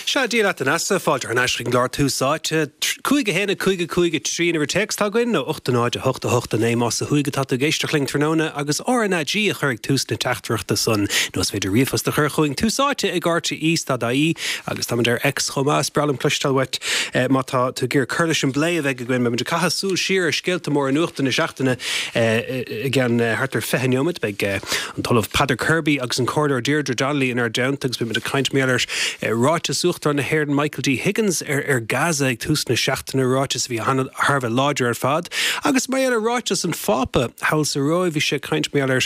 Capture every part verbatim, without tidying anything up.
Sea, Dia leat a Neasa, fáilte thar n-ais chuig an gclár Tús Áite. Cúig a haon a cúig a cúig a trí an uimhir téacs atá againn, nó ocht a náid a hocht a hocht a naoi más ó thuaidh atá tú ag éisteacht linn tráthnóna agus R N A G a chur ag tús na teachtaireachta san. Nó is féidir ríomhphost a chur chugainn, tús áite ag R T E dot I E, agus táimid ar X chomh maith. Is breá liom cloisteáil uait má tá tú ag iarraidh cur leis an bplé a bheidh againn. Beimid ag caitheamh súil siar ar scéalta móra nuachta na seachtaine i gceann thart ar fiche neomat. Beidh an tOllamh Peadar Kirby agus an Comhairleoir Deirdre Donnelly inár dteannta agus beimid ag caint mar gheall ar ráiteas Uachtarán na hÉireann Michael D. Higgins ar ar Gaza ag tús na seachtaine, ráiteas a bhí thar a bheith láidir ar fad, agus mar gheall ar ráiteas an Phápa thall sa Róimh. Bhí sé ag caint mar gheall ar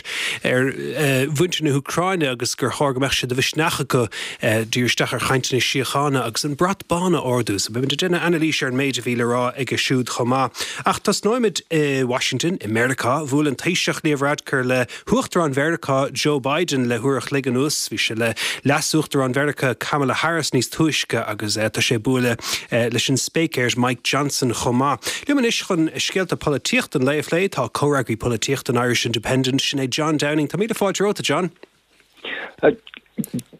ar mhuintir na hÚcráine agus gur chóir go mbeadh sé de mhisneach acu díriú isteach ar chainteanna síochána agus an brat bán a ardú. So beimid ag déanamh anailís ar an méid a bhí le rá aige siúd chomh maith. Ach tosnóimid i Washington i Meiriceá. Bhuail an Taoiseach Leo Varadkar le hUachtarán Mheiriceá Joe Biden le huair a chloig anuas. Bhí sé le Leas-Uachtarán Mheiriceá Kamala Harris níos túisce agus tá sé ag bualadh leis an Spéicéir Mike Johnson chomh maith. Liom anois chun scéalta polaitíochta an lae a phlé tá comhfhreagraí polaitíochta an Irish Independent, sin é John Downing. Tá míle fáilte romhat, John.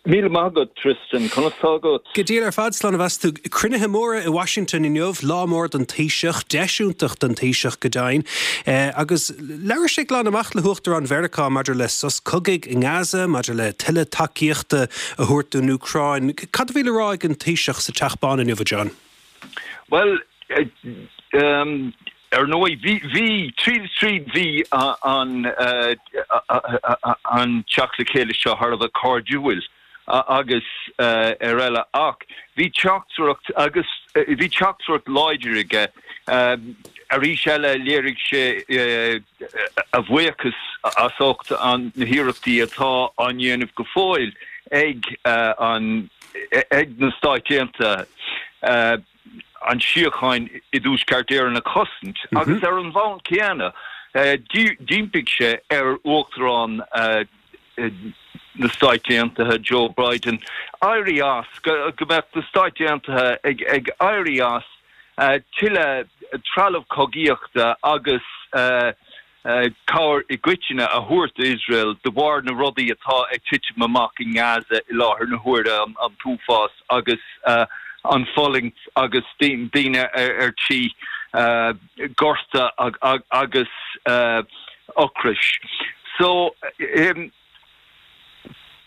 Míle maith agat, Tristan, conas tá agat? Go diail ar fad, slán a bheas tú. Cruinnithe móra i Washington inniu, lá mór don Taoiseach, deis iontach don Taoiseach go deimhin. Agus labhair sé glan amach le hUachtarán Mheiriceá maidir le sos cogaidh i nGaza, maidir le tuilleadh tacaíochta a thabhairt don Úcráin. Cad a bhí le rá ag an Taoiseach sa Teach Bán inniu, John? Well, um, ar ndóigh bhí bhí tríd tríd bhí an an teacht le chéile seo thar a bheith cairdiúil agus ar eile, ach bhí teachtaireacht agus bhí teachtaireacht láidir aige. Arís eile léirigh sé a bhuíochas as ucht an na hiarrachtaí atá á ndéanamh go fóill ag an ag na Stáit Aontaithe an síocháin i dTuaisceart Éireann a chosaint, agus ar an bhonn céanna d'impigh sé ar Uachtarán na Stáit Aontaithe Joe Biden éirí as, go mbeadh na Stáit Aontaithe ag ag éirí as tuilleadh trealamh cogaíochta agus cabhair i gcoitinne a thabhairt Israel de bharr na rudaí atá ag titim amach i nGaza i láthair na huaire, an t-uafás agus an fulaingt agus daoine ar tí gorta agus ocrais. So um,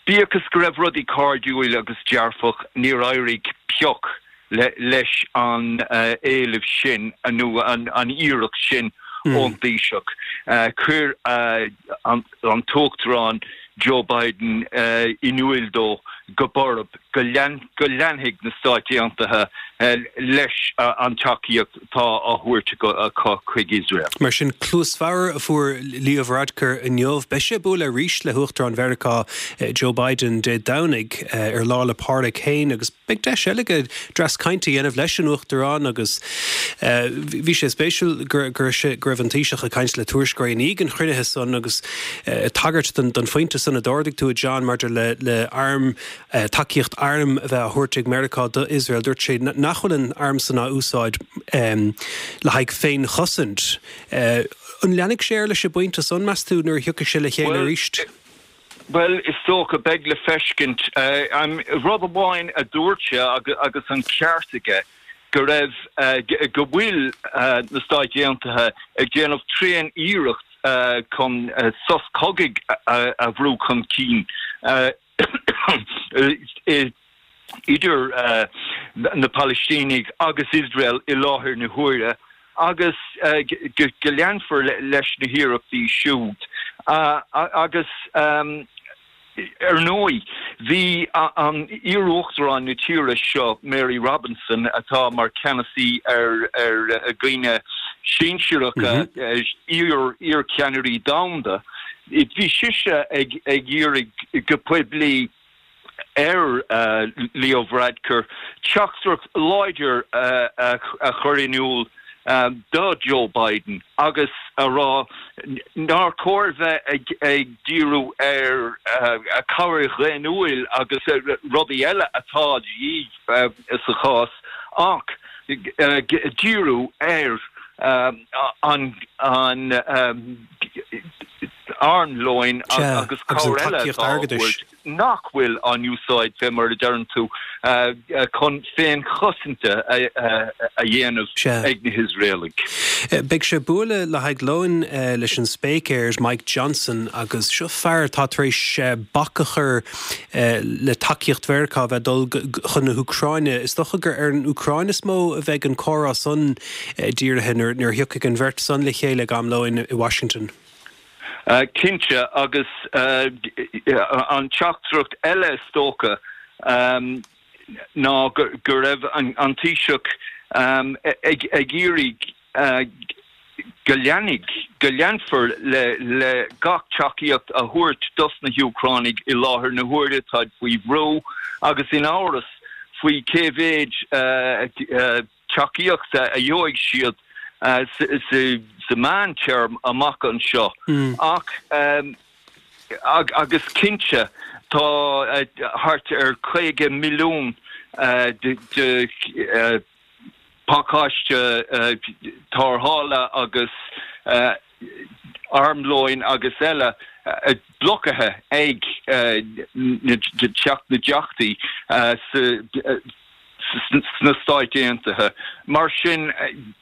bíodh is go raibh rudaí cairdiúil agus dearfach, níor éirigh pioc le, leis an uh, éileamh sin nó an, an iarracht sin mm. ón Taoiseach. Uh, chuir uh, an, an tUachtarán Joe Biden uh, in iúl dó go borb go lean, go leanfaidh na Stáit Aontaithe uh, leis uh, an tacaíocht atá á thabhairt acu chuig Israel. Mar sin cluas bhodhar a fuair Leo Varadkar inniu. Beidh sé ag bualadh arís le hUachtarán Mheiriceá Joe Biden Dé Domhnaigh ar Lá 'le Pádraig féin, agus beidh deis eile aige dreas cainte a dhéanamh leis an Uachtarán. Agus bhí sé spéisiúil gur gur go raibh an Taoiseach ag caint le tuairisceoirí i ndiaidh an chruinnithe san agus tagairt don don phointe san a d'ardaigh tú, John, maidir le le arm tacaíocht arm a bheith á thabhairt ag Meiriceá do Israel. Dúirt sé nach bhfuil an arm san á úsáid um, le haghaidh féinchosaint. Uh, an leanfaidh sé leis an bpointe san, meas tú, nuair a thiocfaidh sé le chéile arís? Well, is dócha beidh le feiscint. uh, um, rud amháin a dúirt sé, agus an ceart aige, go raibh uh, go bhfuil uh, na Stáit Aontaithe ag déanamh tréan iarracht uh, chun uh, sos cogaidh a, a bhrú chun cinn uh, idir uh, na Palaistínigh agus Israel i láthair na huaire, agus uh, go leanfar leis na hiarrachtaí siúd. Uh, agus um, ar ndóigh bhí an iar-uachtarán na tíre seo Mary Robinson, atá mar ceannasaí ar ar dhaoine sinsearacha, mm -hmm. iar iarcheannairí domhanda. Bhí sise ag ag iarraidh go poiblí ar uh, Leo Varadkar teachtaireacht láidir uh, a, a chur in iúl um, do Joe Biden agus a rá nár chóir bheith ag, ag díriú ar uh, a cabhair dhaonnúil agus rudaí eile atá uh, sa chás, ach uh, díriú ar um, an an um, armlóin agus airgeadais. nach bhfuil á n-úsáid fé mar a deireann tú chun féinchosaint a dhéanamh ag na hIosraelaigh. Beidh sé ag bualadh le haghaidh lóin leis an Spéicéir Mike Johnson agus seo fear atá tar éis bac a chur le tacaíocht Mheiriceá bheith ag dul chun na hÚcráine. Is dócha gur ar an Úcráin is mó a bheidh an comhrá san dírithe nuair a thiocfaidh an bheirt san le chéile ag am lóin i Washington. Cinnte agus an teachtaireacht eile is dócha ná go raibh an Taoiseach ag iarraidh go leanfaidh go leanfar le le gach tacaíocht a thabhairt dos na hÚcránaigh i láthair na huaire táid faoi bhrú agus in amhras faoi cé mhéid tacaíochta a gheobhaidh siad sa mheántéarma amach anseo. Ach agus cinnte tá thart ar caoga milliún de pacáiste tarrthála agus armlóin agus eile blocaithe ag Teach na dTeachtaí sna Stáit Aontaithe. Mar sin,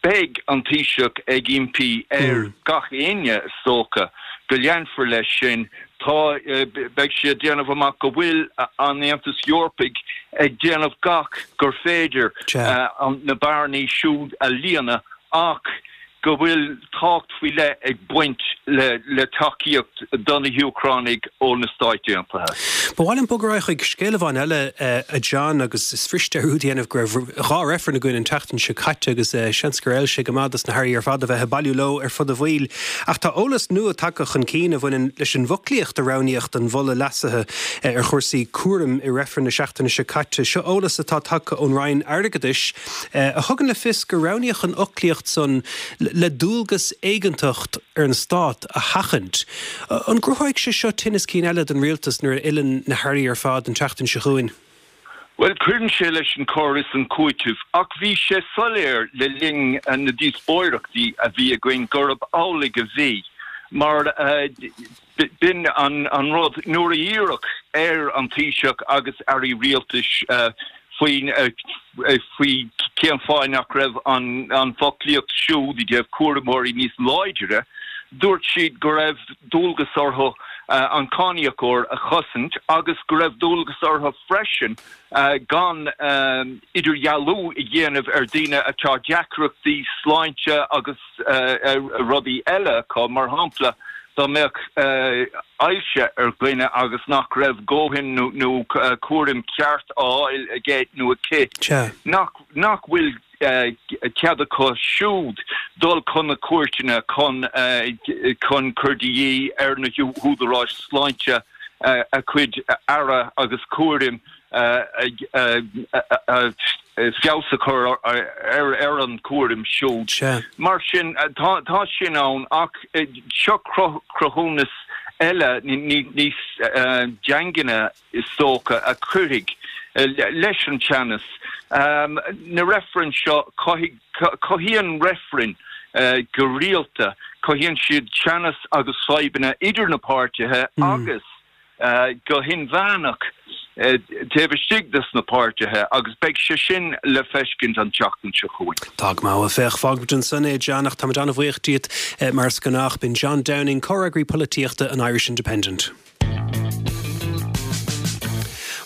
beidh an Taoiseach ag impí ar gach éinne, is dócha, go leanfar leis sin. Tá, beidh sé ag déanamh amach go bhfuil an Aontas Eorpaigh ag déanamh gach gur féidir na bearnaí siúd a líonadh ach go bhfuil tábhacht faoi leith ag baint le tacaíocht do na hÚcránaigh ó na Stáit Aontaithe. Ba mhaith liom bogadh ar aghaidh chuig scéal amháin eile, a John, agus is fuirist dearúd a dhéanamh go raibh dhá reifreann againn an tseachtain seo caite agus seans gur fheil sé go maith dos na hairí ar fad a bheith ag bailiú leo ar fud an bhaill. Ach tá eolas nua tagtha chun cinn a bhaineann leis an bhfoclaíocht a roghnaíodh don mholadh leasaithe ar chúrsaí cúraim i reifreann na seachtaine seo caite. Seo eolas atá tagtha ón Roinn Airgeadais a thugann le fios gur roghnaíodh an fhoclaíocht san le dualgas éigeantach ar an stát a sheachaint. An gcruthóidh sé seo tinneas cinn eile don rialtas nuair a fhilleann na hairí ar fad an tseachtain seo chugainn? Bhuel, cuireann sé leis an cur is an cúiteamh, ach bhí sé soiléir le linn na díospóireachtaí a bhí againn gurb amhlaidh a bhí, mar b'in an rud, nuair a iarradh ar an Taoiseach agus airí rialtais faoi cén fáth nach raibh an foclaíocht siúd i dtaobh cúramóirí níos láidre, dúirt siad go raibh dualgas orthu an cáiníocóir a chosaint agus go raibh dualgas orthu freisin gan idirdhealú a dhéanamh ar daoine atá deacrachtaí sláinte agus rudaí eile acu, mar shampla dá mbeadh ailse ar dhuine agus nach raibh dóthain nó cúram ceart á fháil aige nó aici, nach bhfuil cead acu siúd dul chun na cúirteanna chun chun cur de dhíth ar na húdaráis sláinte a cuid aire agus cúraim feabhas a chur ar an gcúram siúd. Mar sin, tá sin ann ach seo cruthúnas eile níos daingne is dócha a chuirfidh leis an teannas. Na reifrinn seo, cothaíonn reifrinn go rialta, cothaíonn siad teannas agus fadhbanna idir na páirtithe agus go hinmheánach taobh istigh des na páirtithe agus beidh sé sin le feiscint an tseachtain seo chugainn. Tá go maith, féach, fágfaimid ansan é, John, ach táimid an-bhuíoch díot mar is gnách. B'in John Downing, Comhfhreagraí Polaitíochta an Irish Independent.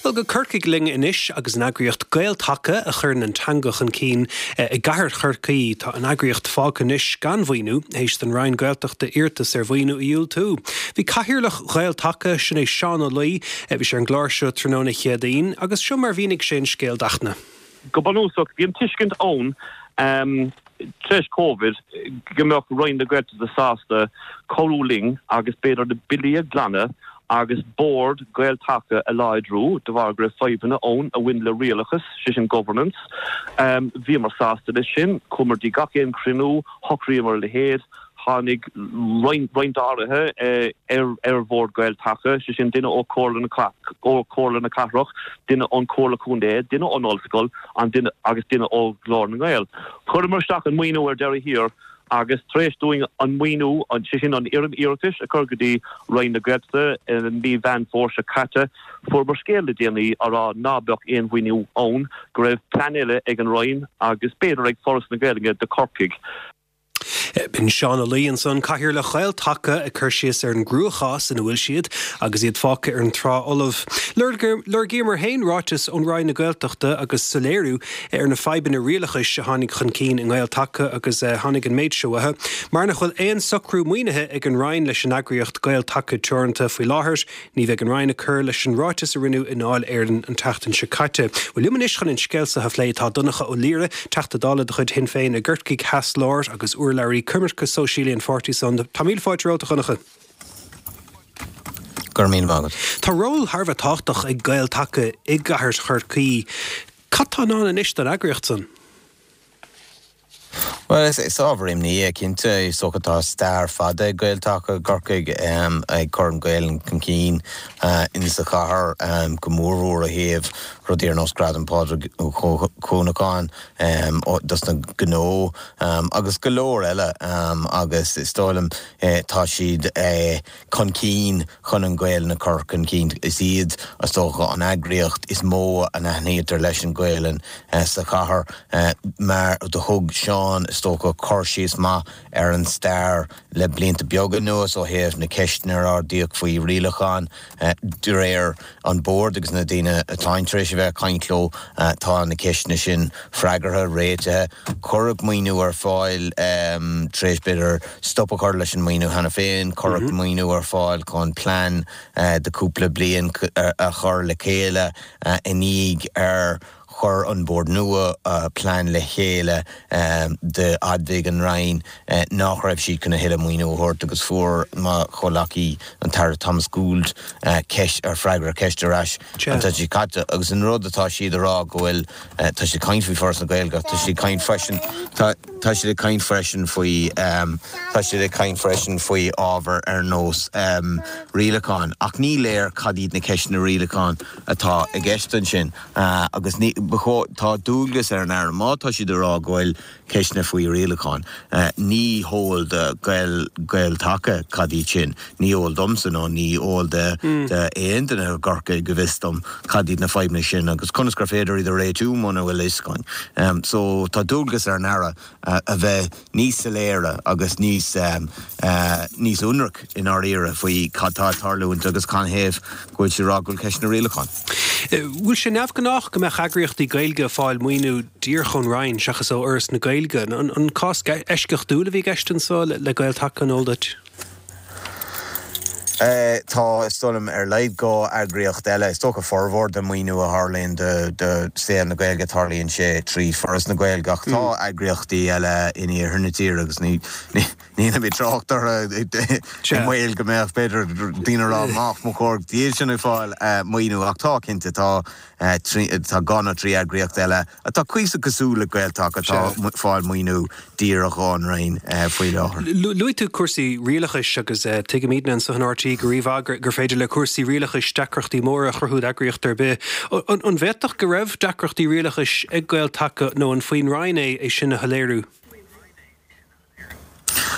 Bhuel, go Corcaigh linn anois agus an eagraíocht Gael-Taca a chuireann an teanga chun cinn i gcathair Chorcaí. Tá an eagraíocht fágtha anois gan mhaoiniú, théis don Roinn Gaeltachta iarratas ar mhaoiniú a dhiúltú. Bhí Cathaoirleach Ghael-Taca, sin é Seán Ó Laoi, bhí sé ar an gclár seo tráthnóna Chéadaoin agus seo mar a mhínigh sé an scéal d'Fhachtna. Go bunúsach, bhí an tuiscint ann tar éis Covid go mbeadh Roinn na Gaeltachta sásta cabhrú linn agus b'fhéidir na billí a ghlanadh agus bord Gael-Taca a láidriú de bharr go raibh fadhbanna ann a bhain le rialachas, sé sin governance. Bhíomar sásta leis sin, chuamar dtí gach aon chruinniú, shocraíomar a leithéid, tháinig roinnt áirithe ar bhord Gael-Taca, sé sin duine ó Chomhairle na Cathrach, duine ón Chomhairle Contae, duine ón Ollscoil agus duine ó Ghlór na nGael. Chuireamar isteach an maoiniú ar deireadh thiar Agus tar éis dúinn an maoiniú, sé sin an fhoirm iarratais, a chur go dtí Roinn na Gaeltachta i mí Mheán Fómhair seo caite, fuaireamar scéal le déanaí á rá ná beadh aon mhaoiniú ann, go raibh plean eile ag an Roinn agus b'fhéidir ag Foras na Gaeilge do Chorcaigh. B'in Seán Ó Laoi ansan, Cathaoirleach Ghael-Taca, ag cur síos ar an gcruachás ina bhfuil siad agus iad fágtha ar an trá fholamh. Lorgaíomar féin ráiteas ón Roinn na Gaeltachta agus soiléiriú ar na fadhbanna rialachais a tháinig chun cinn i nGael-Taca agus tháinig an méid seo uathu, Mar nach bhfuil aon socrú maoinithe ag an Roinn leis an eagraíocht Gael-Taca Teoranta faoi láthair, ní bheidh an Roinn ag cur leis an ráiteas a rinneadh i nDáil Éireann an tseachtain seo caite. Bhuel, liom anois chun an scéal seo a phlé tá Donncha Ó Laoire, Teachta Dála de chuid Shinn Féin i gCorcaigh Theas Láir agus urlabhraí coimirce sóisialaí an pháirtí san. Tá míle fáilte romhat, a Dhonncha. Go raibh míle maith agat. Tá ról thar a bheith tábhachtach ag Gael-Taca i gcathair Chorcaí. Cad tá i ndán anois don eagraíocht san? Bhuel, is ábhar imní é cinnte. Is dócha tá stair fada ag Gael-Taca i gCorcaigh ag cur an Ghaelainn chun cinn insa chathair, go mórmhór ó thaobh rudaí ar nós Gradam Phádraig Ó Cuanacháin dos na gnó agus go leor eile agus is dóigh liom tá siad chun cinn chun an Ghaelainn a chur chun cinn. Is iad, is dócha, an eagraíocht is mó a n-aithnítear leis an Ghaelainn sa chathair mar do thug Seán, is dócha, cur síos maith ar an stair le blianta beaga anuas ó thaobh na ceisteanna ar ardaíodh faoi rialacháin. De réir an Bord agus na daoine atáim tar éis a bheith ag caint leo, tá na ceisteanna sin freagartha, réitithe. Cuireadh maoiniú ar fáil tar éis, b'fhéidir, stop a chur leis an maoiniú cheana féin. Cuireadh maoiniú ar fáil chun plean de chúpla bliain a chur le chéile i ndiaidh ar Chuir an Bord nua plean le chéile d'admhaigh an Roinn nach raibh siad chun a thuilleadh maoiniú a thabhairt agus fuair mo chomhleacaí, an tAire Thomas Gould, ceist ar freagra ar cheist ar ais an tseachtain seo caite agus an rud atá siad a rá go bhfuil, tá siad ag caint faoi Foras na Gaeilge ach tá siad ag caint freisin, tá tá siad ag caint freisin faoi, tá siad ag caint freisin faoi ábhar ar nós rialacháin ach ní léir cad iad na ceisteanna rialacháin atá i gceist ansin. Agus ní, ba chóir, tá dualgas ar an Aire, má tá siad ag rá go bhfuil ceisteanna faoi rialacháin, ní heol do Gael, Gael-Taca cad iad sin, ní eol domsa nó ní eol do, d'aon duine i gCorcaigh go bhfios dom cad iad na fadhbanna sin agus conas gur féidir iad a réitiú muna bhfuil a fhios againn. So tá dualgas ar an Aire a bheith níos soiléire agus níos, níos ionraic i ndáiríre faoi cad tá ag tarlúint agus canathaobh go bhfuil siad ag rá go bhfuil ceisteanna rialacháin. Bhfuil sé neamhghnách go mbeadh eagraíochtaí Gaeilge ag fáil maoiniú díreach ón Roinn seachas ó Fhoras na Gaeilge? An cás eisceachtúil a bhí i gceist anseo le Gael-Taca, an eol duit? Tá, is dóigh liom, ar laghad dhá eagraíocht eile. Is dócha formhór den maoiniú a tharlaíonn do saol na Gaeilge, tarlaíonn sé trí Foras na Gaeilge ach tá eagraíochtaí eile in iarthar na tíre agus ní Nílim ag trácht orthu i mbaol go mbeadh, b'fhéidir, daoine ag rá nach mba chóir dóibh sin ag fáil maoiniú ach tá, cinnte, tá tá dhá nó trí eagraíocht eile atá cuíosach cosúil le Gael-Taca atá ag fáil maoiniú díreach ón Roinn faoi láthair. Luaigh tú cúrsaí rialachais agus tuigimidne anseo in RTÉ go rímhaith gur féidir le cúrsaí rialachais deacrachtaí móra a chruthú d'eagraíocht ar bith. An bhféadfadh go raibh deacrachtaí rialachais ag Gael-Taca nó an faoin Roinn é é sin a shoiléiriú?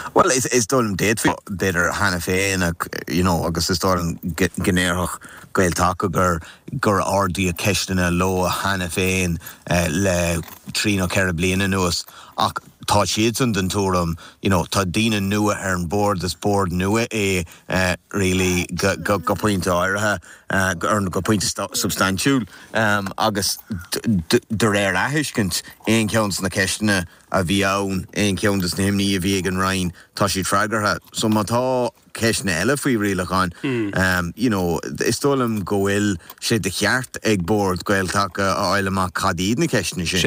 Bhuel, is dóigh liom d'fhéadfaí, b'fhéidir, cheana féin ach, you know, agus is dóigh liom go ndéarfadh Gael-Taca gur, gur ardaíodh ceisteanna leo cheana féin le trí nó ceithre bliana anuas ach tá siadsan den tuairim, you know, tá daoine nua ar an bord, is bord nua é really go, go, go pointe áirithe, or go pointe substaintiúil agus de réir a thuiscint, aon cheann de na ceisteanna a bhí ann, aon cheann de na himní a bhí ag an Roinn, tá siad freagartha. So má tá ceisteanna eile faoi rialacháin, you know, is dóigh liom go bhfuil sé de cheart ag Bord Gael-Taca a fháil amach cad iad na ceisteanna sin.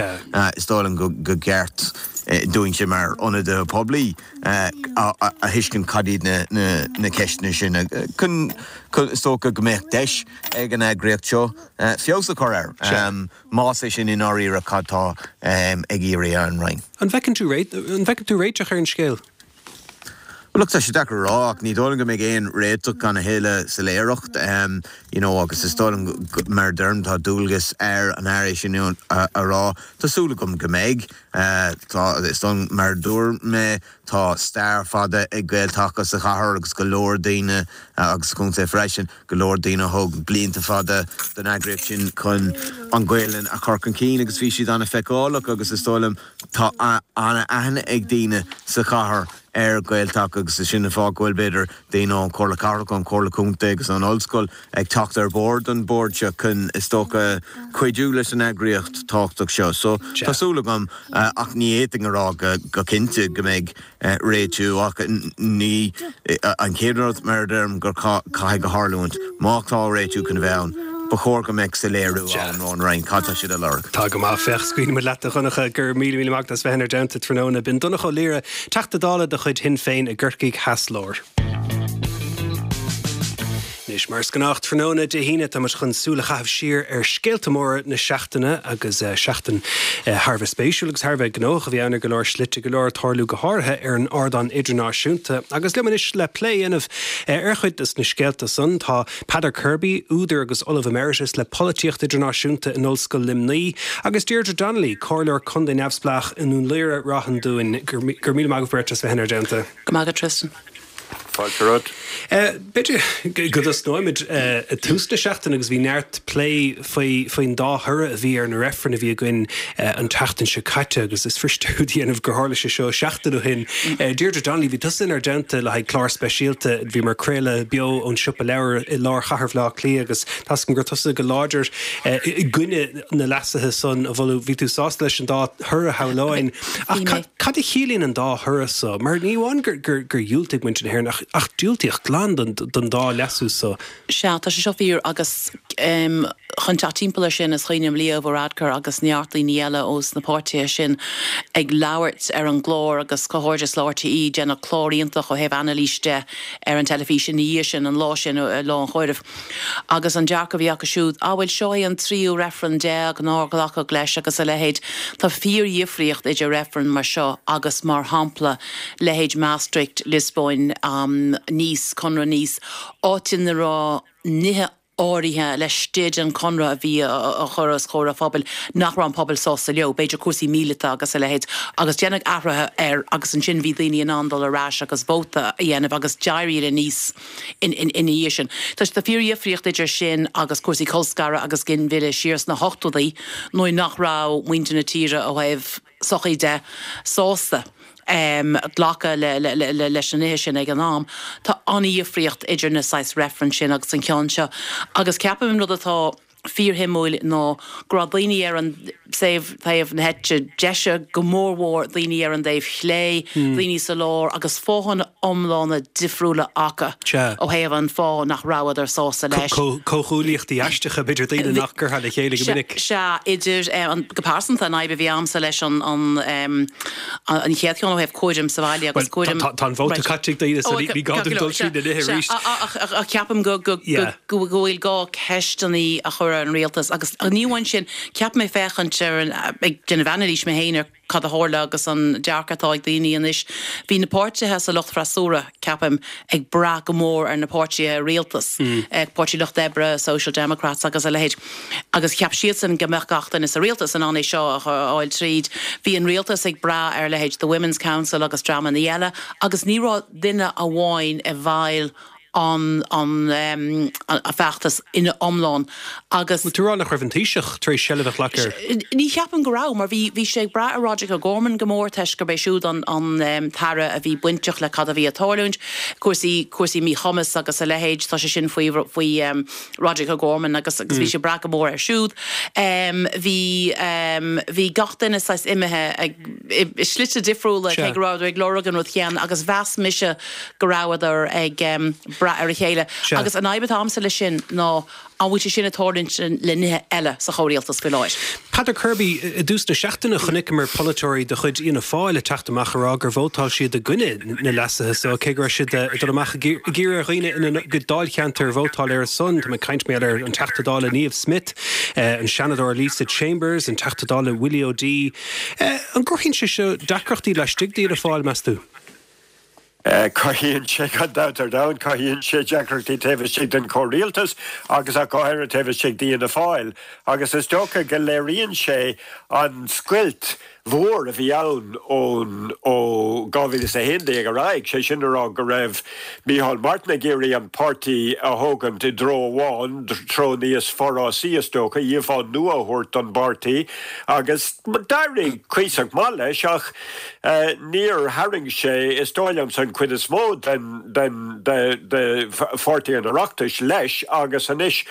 Is dóigh liom go gceart dúinnse mar ionadaithe poiblí a thuiscint cad iad na ceisteanna sin chun, is dócha, go mbeadh deis ag an eagraíocht seo feabhas a chur air, más é sin i ndáiríre cad tá ag iarraidh ar an Roinn. An bhfeiceann tú, an bhfeiceann tú réiteach ar an scéal? Well, look, tá sé deacair a rá ach ní dóigh liom go mbeidh aon réiteach gan a thuilleadh soiléireacht um, you know, agus is dóigh liom mar deirim tá dualgas ar an Aire sin a, a rá Tá súil agam go mbeidh uh, tá is dóigh mar dúirt mé tá stair fada ag Gael-Taca sa chathair agus go leor daoine uh, agus contae freisin go leor daoine thug blianta fada don eagraíocht sin chun an Ghaelainn a chur chun cinn agus bhí siad an-fheiceálach agus is dóigh liom tá an-aithne ag daoine sa chathair ar Ghael-Taca agus is sin an fáth go bhfuil b'fhéidir daoine ón Chomhairle Cathrach an Chomhairle Contae agus an ollscoil ag teacht ar bord an bord seo chun is dócha cuidiú leis an eagraíocht tábhachtach seo. So tá súil agam uh, ach ní fhéadfainn a rá go, go cinnte go mbeidh uh, réitiú ach ní uh, an chéad rud mar deirim gur caithfidh go tharlúint má tá réitiú chun bheith ann. Ba chóir go mbeadh soiléiriú ann ón Roinn cad tá siad a lorg. Tá go maith féach scaoilfidh muid leat a Dhonncha go raibh míle míle maith as bheith inár dteannta tráthnóna b'in Donncha Ó Laoghaire Teachta Dála de chuid Shinn Féin i gCorcaigh Theas Láir. Anois mar is gnách tráthnóna Dé hAoine tá muid chun súil a chaitheamh siar ar scéalta móra na seachtaine agus uh, seachtain uh, thar a bheith spéisiúil agus thar a bheith gnóthach a bhí ann ar go leor slite go leor ag tarlú go háirithe ar an ardán idirnáisiúnta agus liom anois le plé a dhéanamh uh, ar chuid des na scéalta san tá Peadar Kirby, údar agus Ollamh Emeritus le polaitíocht idirnáisiúnta in Ollscoil Luimnigh agus Deirdre Donnelly, comhairleoir contae neamhspleách i nDún Laoghaire Ráth an Dúin gur míle maith agaibh beirt as bheith inár dteannta. Go maith Tristan. Fáilte romhat. B'fhéidir go dtosnóimid i dtús na seachtaine agus bhí neart plé faoi faoin dá thoradh a bhí ar na reifrinn a bhí againn an tseachtain seo caite agus is fuirist a dhéanamh gur tharla sé seo seachtain ó shin. Deirdre Donnelly bhí tusa inár dteannta le haghaidh clár speisialta bhí mar craoladh beo ón siopa leabhar i lár chathair Bhaile Átha Cliath agus tá a fhios agam gur tusa go láidir i gcoinne na leasuithe san a mholadh bhí tú sásta leis an dá thoradh shamhlóinn. Ach cad a chiallaíonn an dá thoradh so, mar ní amháin gur gur gur dhiúltaigh muintir na hÉireann ach ach diúltaíodh glan don don dá leasú so. Sea tá sé seo fíor agus um, chun teacht timpeall air sin is cuimhin liom Leo Varadkar agus neart daoine eile ós na páirtithe sin ag labhairt ar an gclár agus comhghairdeas le RTÉ déanamh clár iontach ó thaobh anailís de ar an teilifís ina dhiaidh sin an lá sin lá an chomhairimh. Agus an dearcadh a bhí acu siúd á bhfuil seo é an tríú reifreann déag nár glacadh leis agus a leithéid tá fíordhifríocht idir reifreann mar seo agus mar shampla leithéid Maastricht Lisbon um, Nice Conradh Nice áit ina raibh nithe áirithe laistigh den chonradh a bhí a chur os comhair an phobail nach raibh an pobal sásta leo, b'fhéidir cúrsaí míleata agus a leithéid, agus déanadh athruithe air agus ansin bhí daoine in ann dul ar ais agus vóta a dhéanamh agus d'éirigh le Nice ina dhiaidh sin. Tá tá fíordhifríocht idir sin agus cúrsaí colscaradh agus ginmhilleadh siar sna hochtóidí nuair nach raibh muintir na tíre ó thaobh sochaí de sásta. Um, glacadh le, le, le, le, leis na nithe sin ag an am. Tá an-difríocht idir na saghas reifreann sin agus an ceann seo. Agus ceapaim rud atá fíorshuimiúil ná go raibh daoine ar an taobh taobh na heite deise go mórmhór daoine ar an dtaobh chlé, mm. daoine sa lár agus fáthanna iomlána difriúla acu ó thaobh an fáth nach rabhadar sásta leis. Comhghuaillíochtaí aisteacha b'fhéidir daoine nach gcuirfeá le chéile go minic. Sea idir eh, go pearsanta an fhadhb a bhí agamsa leis an an an chéad cheann ó thaobh cúram sa bhaile agus cúram Tá an vóta caite daoine sa ní gá dul trí na nithe arís. A ceapaim go go bhfuil gá ceisteanna a chur ar an rialtas agus ní amháin sin ceap mé féachaint ar an ag déanamh anailís mé féin ar cad a tharla agus an dearcadh atá ag daoine anois. Bhí na páirtithe sa lucht freasúra ceapaim ag brath go mór ar na páirtithe rialtas, mm. Páirtí Lucht Oibre, Social Democrats agus a leithéid. Agus cheap siadsan go mbeadh gach duine sa rialtas in ann é seo a fháil tríd. Bhí an rialtas ag brath ar leithéid the Women's Council agus dreamanna eile, agus ní raibh duine amháin i bhfeighil an an um, a feachtas ina iomlán agus tú rá nach raibh an Taoiseach tar éis seilbh a ghlacadh air. Ní cheapaim go raibh mar bhí bhí sé ag brath ar Roderick O'Gorman go mór toisc gurb é siúd an an um, tAire a bhí bainteach le cad a bhí ag tarlúint cúrsaí cúrsaí míchumas agus a leithéid tá sé sin faoi faoi um, Roderick O'Gorman agus agus bhí mm. sé ag brath go mór air siúd. Um, bhí um, bhí gach duine saghas imithe ag i slite difriúla cé go rabhadar ag lorg an rud céanna agus mheas mise go rabhadar ag um, brath ar a chéile. Agus an fhadhb atá agamsa leis sin ná an bhfuil sé sin ag tarlúint le nithe eile sa chomhrialtas faoi láthair. Peadar Kirby i dtús na seachtaine chonaiceamar polaiteoirí de chuid Fhianna Fáil ag teacht amach ag rá gur vótáil siad i gcoinne na leasuithe so cé go raibh siad ag dul amach ag iarraidh ar dhaoine ina gcuid dáilcheantar vótáil ar a son, Tá mé ag caint mar ar an Teachta Dála Niamh Smyth, an Seanadóir Lisa Chambers, an Teachta Dála Willie O'Dea. An gcruthaíonn sé seo deacrachtaí laistigh d'Fhianna Fáil meas tú? Cothaíonn sé gan dabht ar domhan, cothaíonn sé deacrachtaí taobh istigh den chomhrialtas agus ach go háirithe taobh istigh d'Fhianna Fáil agus is dócha go léiríonn sé an scoilt mhór a bhí ann ón ó dhá mhíle is a haon déag ar aghaidh, sé sin a rá go raibh Micheál Martin ag iarraidh an páirtí a thógaint i dtreo amháin, treo níos forásaí is dócha, íomhá nua a thabhairt don bpáirtí agus d'éirigh cuíosach maith leis ach níor tharraing sé, is dóigh liomsa, an chuid is mó den den de de pháirtí an Oireachtais leis agus anois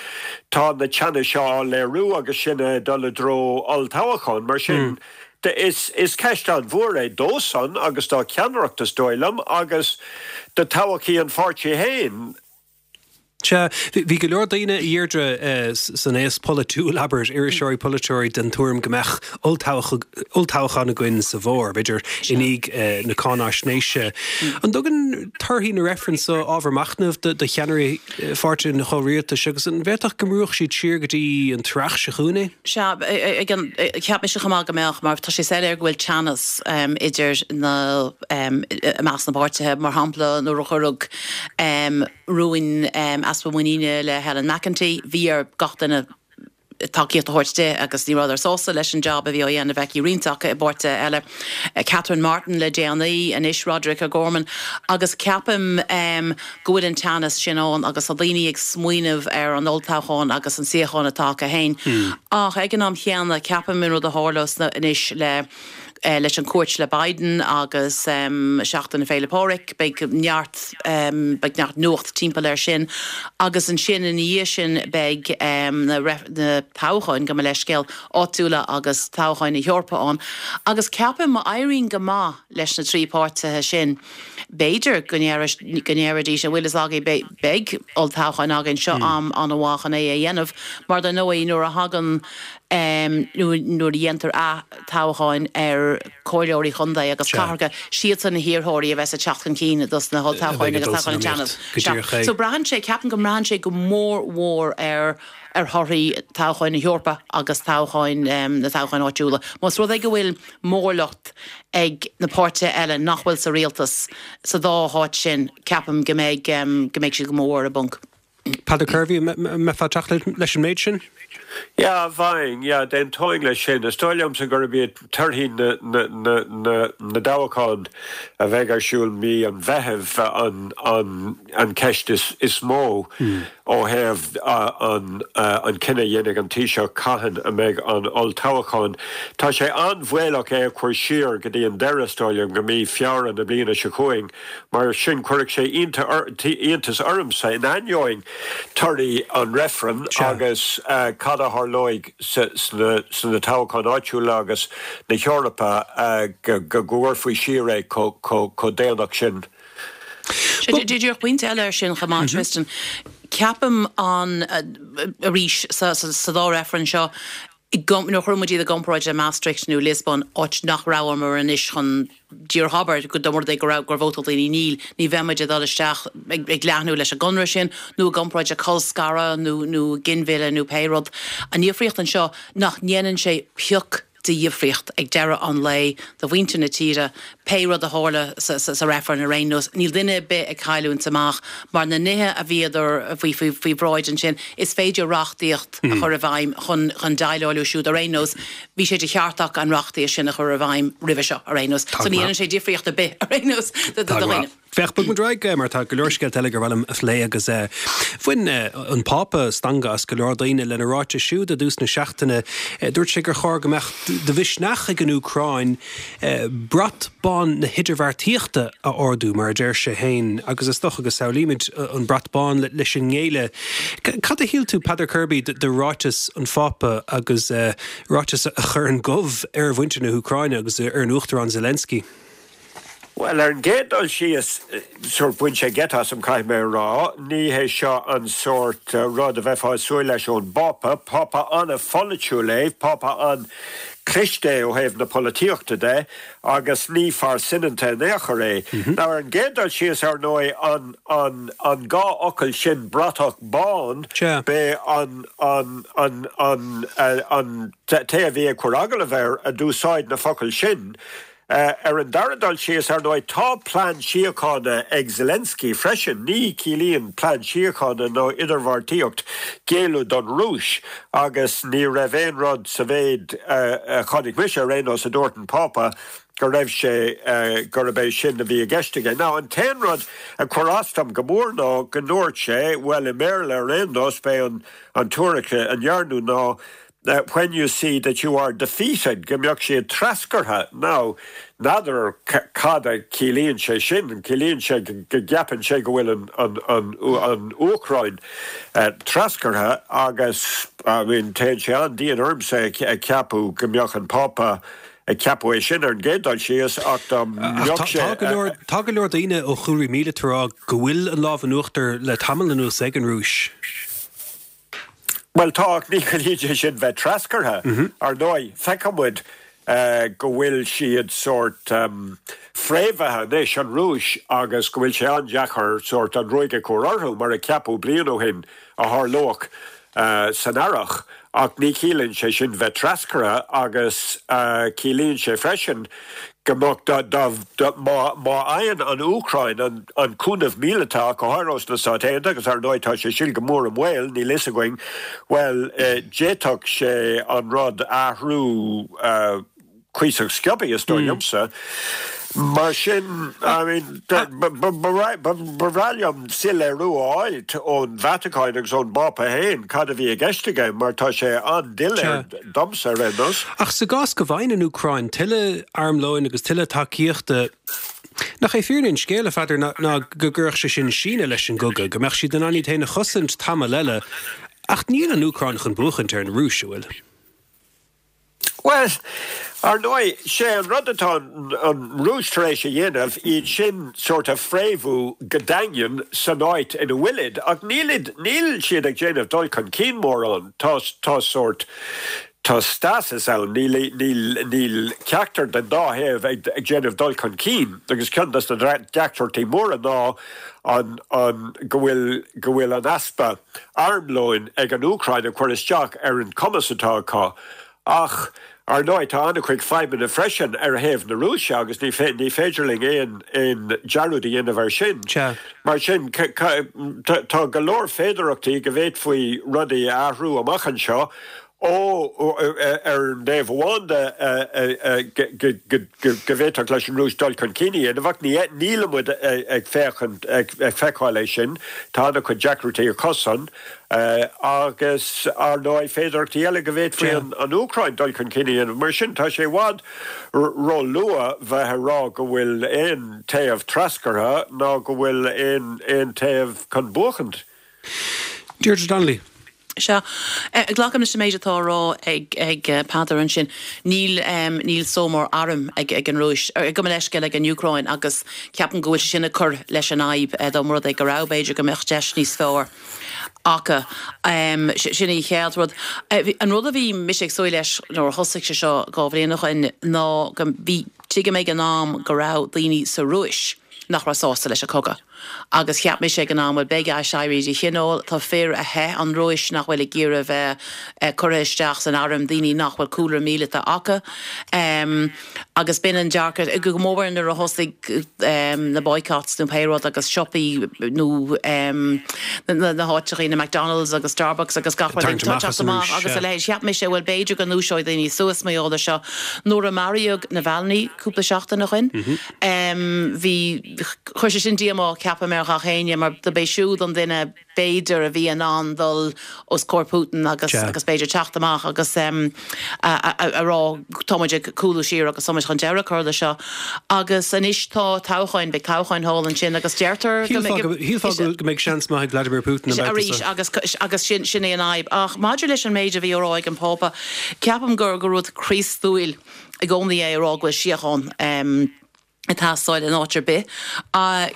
tá na teannais seo á léiriú agus sinn ag dul i dtreo olltoghcháin. Mar sin de is is ceist an-mhór é dósan agus dá cheannaireacht is dóigh liom agus do thodhchaí an pháirtí féin. Sea, bhí go leor daoine, a Dheirdre, san aos polaitiúil, abair, iriseoirí, polaiteoirí, den tuairim go mbeadh olltoghchán againn sa bhfómhar, b'fhéidir i ndiaidh na cáináisnéise. An dtugann torthaí na reifreann seo ábhar machnaimh do cheannairí pháirtithe an chomhrialtais agus an bhféadfadh go mbrúfadh siad siar go dtí an t-earrach seo chugainn é? Sea, cheap mise chomh maith go mbeadh, mar tá sé soiléir go bhfuil teannas idir na, i measc na bpáirtithe. Mar shampla, nuair a cuireadh rún easpa muiníne le Helen McEntee, bhí ar gach duine tacaíocht a thabhairt di agus ní rabhadar sásta leis an jab a bhí á dhéanamh aici, roinnt acu i bpáirtithe eile, Catherine Martin le déanaí, anois Roderic O'Gorman agus ceapaim go bhfuil an teannas sin ann agus tá daoine ag smaoineamh ar an olltoghchán agus an suíochán atá acu féin. Ach ag an am chéanna ceapaim an rud a tharlós anois le leis an cuairt le Biden agus Seachtain na Féile Pádraig, beidh neart, beidh neart nuacht timpeall air sin agus ansin ina dhiaidh sin beidh na na toghcháin, gabh mo leithscéal, áitiúla agus toghcháin na hEorpa ann agus ceapaim má éiríonn go maith leis na trí páirtithe sin, b'fhéidir go ndéarfaidís, an bhfuil fhios agaibh, beidh olltoghchán againn, seo am an-mhaith chun é a dhéanamh mar dar ndóigh nuair a thagann nuair a dhéantar ath-toghcháin ar chomhairleoirí chontae agus cathracha, siadsan na hiarrthóirí a bheas ag teacht chun cinn dos na holltoghcháin agus toghcháin an tSeanaid. Sea. So braitheann sé, ceapaim go mbraitheann sé go mór mhór ar ar thorthaí toghcháin na hEorpa agus toghcháin, na toghcháin áitiúla. Más rud é go bhfuil mórlucht ag na páirtithe eile nach bhfuil sa rialtas sa dá háit sin, ceapaim go mbeidh, go mbeidh siad go mór ar a bponc. Peadar Kirby, an mbeifeá ag teacht leis an méid sin? Yeah, bheinn, yeah, d'aontóinn leis sin. Is dóigh liomsa gurb iad torthaí na na dtoghchán a bheidh ar siúl mí an Mheithimh an an an ceist is is mó ó thaobh an an cinneadh a dhéanfaidh an Taoiseach cathain a mbeidh an olltoghchán. Tá sé an-bhaolach é a chur siar go dtí an deireadh, is dóigh liom, go mí Feabhra na bliana seo chugainn. Mar sin, chuirfeadh sé iontas ormsa, in ainneoin torthaí an reifrinn agus cad a tharlóidh sna toghcháin áitiúla agus na hEorpa, go gcuirfí siar é chomh déanach sin. Díreach pointe eile air sin chomh maith, Tristan. Ceapaim an, arís, sa dá reifreann seo, nuair a chuireann muid iad i gcomparáid le Maastricht nó Liospóin, áit nach rabhamar anois chun díreach abair go dá mba rud é go raibh gur vótáil daoine níl, ní bheidh muid ag dul isteach ag leathnú leis an gconradh sin nó i gcomparáid le colscaradh nó nó ginmhilleadh nó pé rud. An dhifríocht anseo nach ndéanann sé pioc de dhifríocht ag deireadh an lae do mhuintir na tíre, pé rud a tharla sa reifreann ar aon nós. Níl duine ar bith ag cailliúint amach mar na nithe a bhíodar faoi faoi bhráid ansin, is féidir reachtaíocht a chur i bhfeidhm chun chun déileáil leo siúd ar aon nós. Bhí sé de cheart acu an reachtaíocht sin a chur i bhfeidhm roimhe seo ar aon nós. So ní dhéanann sé difríocht ar bith ar aon nós do dhaoine. Féach, bogfaidh muid ar aghaidh mar tá go leor scéalta eile gur mhaith liom a phlé agus bhain an Pápa stangadh as go leor daoine lena ráiteas siúd i dtús na seachtaine. Dúirt sé gur chóir go mbeadh de mhisneach ag an Úcráin brat bán na hidirbheartaíochta a ardú, mar a deir sé féin, agus is dócha go samhlaímid an brat bán leis an ngéilleadh. Cad a shíl tú, Peadar Kirby, de ráiteas an Phápa agus ráiteas a chuireann gomh ar mhuintir na hÚcráine agus ar an Uachtarán Zelensky? Bhuel, ar an gcéad dul síos, sórt bhain sé geit asam, caithfidh mé a rá. Ní hé seo an sórt rud a bheifeá ag súil leis ón bPápa. Pápa an-pholaitiúil é, Pápa an-chliste é ó thaobh na polaitíochta de, agus ní fear soineanta in aon chor é. Now, ar an gcéad dul síos, ar ndóigh, an, an, an dhá fhocal sin, bratach bán, b'é an, an, an, an, an té a bhí ag cur agallamh air a d'úsáid na focail sin. Ar an dara dul síos, ar ndóigh, tá plean síochána ag Zelensky freisin. Ní chiallaíonn plean síochána nó idirbheartaíocht géilleadh don Rúis agus ní raibh aon rud sa mhéid a chonaic mise ar aon nós a dúirt an Pápa go raibh sé gurb é sin a bhí i gceist aige. Now, an t-aon rud a chuir as dom go mór ná go ndúirt sé, bhuel i mBéarla ar aon nós, b'é an tuairisc a ndearnadh ná when you see that you are defeated, go mbeadh siad treascartha. Now, n'fheadar cad a chiallaíonn sé sin, ciallaíonn sé go gceapann sé go bhfuil an, an, an Úcráin treascartha agus, I mean, téann sé an-dian ormsa a cheapadh go mbeadh an Pápa ag ceapadh é sin ar an gcéad dul síos ach dá mbeadh sé. Tá go leor daoine ó chúlraí míleata ag rá go bhfuil an lámh in uachtar le tamall anuas ag an Rúis. Bhuel tá, ach ní chiallaíonn sé sin bheith treascartha. Ar ndóigh, feiceann muid go bhfuil siad sórt fréamhaithe anois, an Rúis, agus go bhfuil sé an-deacair sórt an ruaig a chur orthu, mar a ceapadh bliain ó shin a tharlódh san earrach. Ach ní chiallaíonn sé sin bheith treascartha agus ciallaíonn sé freisin go mbeadh, dá, má, má fhaigheann an Úcráin an, an cúnamh míleata, ach go háirithe ós na Stáit Aontaithe, agus ar ndóigh tá sé sin go mór i mbaol, níl fhios againn, bhuel, d'fhéadfadh sé an rud a athrú cuíosach sciobtha, is dóigh liomsa. Mar sin, I mean, ba bhreá liom soiléiriú a fháilt ón Vatacáin agus ón bPápa féin cad a bhí i gceist aige, mar tá sé an-doiléir domsa ar aon nós. Ach sa gcás go bhfaigheann an Úcráin tuilleadh armlóin agus tuilleadh tacaíochta, nach é fírinne an scéil, a Pheadair, ná go gcuirfeadh sé sin síneadh leis an gcogadh, go mbeadh siad in ann iad féin a chosaint tamall eile, ach níl an Úcráin chun buachaint ar an Rúis, an bhfuil? Bhuel, ar ndóigh, sé an rud atá an Rúis tar éis a dhéanamh, iad sin sórt a fréamhú go daingean san áit ina bhfuilid, ach nílid, níl siad ag déanamh dul chun cinn mórán, tá, tá sórt, tá stasis ann, níl, níl, níl ceachtar den dá thaobh ag, ag déanamh dul chun cinn, agus ceann des na deacrachtaí móra ná an, an, go bhfuil, go bhfuil an easpa armlóin ag an Úcráin ag cur isteach ar an cumas atá acu. Ach, ar ndóigh, tá an-chuid fadhbanna freisin ar thaobh na Rúise agus ní féidir linn aon aon dearúd a dhéanamh air sin. Mar sin, tá go leor féidearthachtaí go bhféadfaí rudaí a athrú amach anseo, ó ar an dtaobh amháin de go bhféadfadh leis an Rúis dul chun cinn a dhéanamh, ach nílimid ag féachaint, ag feiceáil é sin, tá an-chuid deacrachtaí acusan. Agus, ar ndóigh, féidearthachtaí eile go bhféadfaí an Úcráin dul chun cinn a dhéanamh. Mar sin, tá sé i bhfad ró-luath bheith ag rá go bhfuil aon taobh treascartha ná go bhfuil aon taobh chun buachaint. Deirdre Donnelly. Sea. Glacaim leis an méid atá á rá ag ag Peadar ansin. Níl níl só mór airm ag ag an Rúis, gabh mo leithscéal, ag an Úcráin agus ceapaim go bhfuil sé sin ag cur leis an fhadhb. Dá mba rud é go raibh, b'fhéidir go mbeadh deis níos fearr acu. Sin an chéad rud. An rud a bhí mise ag súil leis nuair a thosaigh sé seo dhá bhliain ó shin ná go, bhí, tuigim ag an am go raibh daoine sa Rúis nach raibh sásta leis an chogadh agus cheap mise ag an am, bhuel beidh aiséirí de chineál, tá fir a theith ón Rúis nach bhfuil ag iarraidh a bheith curtha isteach san arm, daoine nach bhfuil cúlra míleata acu. Agus b'in an dearcadh, go mór nuair a thosaigh na boycotts nó pé rud agus siopaí nó na háiteachaí, na McDonalds agus Starbucks agus gach rud ag teacht amach agus a leithéid. Cheap mise, bhuel b'fhéidir go ndúiseoidh daoine suas mar gheall air seo. Nuair a maraíodh Navalny cúpla seachtain ó shin, bhí, chuir sé sin díomá, ceapaim, ar ghach éinne mar do b'é siúd an duine b'fhéidir a bhí in ann dul os comhair Putin agus agus b'fhéidir teacht amach agus a a rá tá muid ag cúlú siar agus tá muid chun deireadh a chur leis seo. Agus anois tá toghcháin, beidh toghcháin thall ansin agus deirtear go mbeidh Shílfeá go mbeidh seans maith ag Vladimir Putin an babhta arís seo. agus agus sin sin é an fhadhb. Ach maidir leis an méid a bhí á rá ag an Phápa, ceapaim gur gur rud Críostúil i gcónaí é a rá go bhfuil síocháin. ag teastáil in áit ar bith.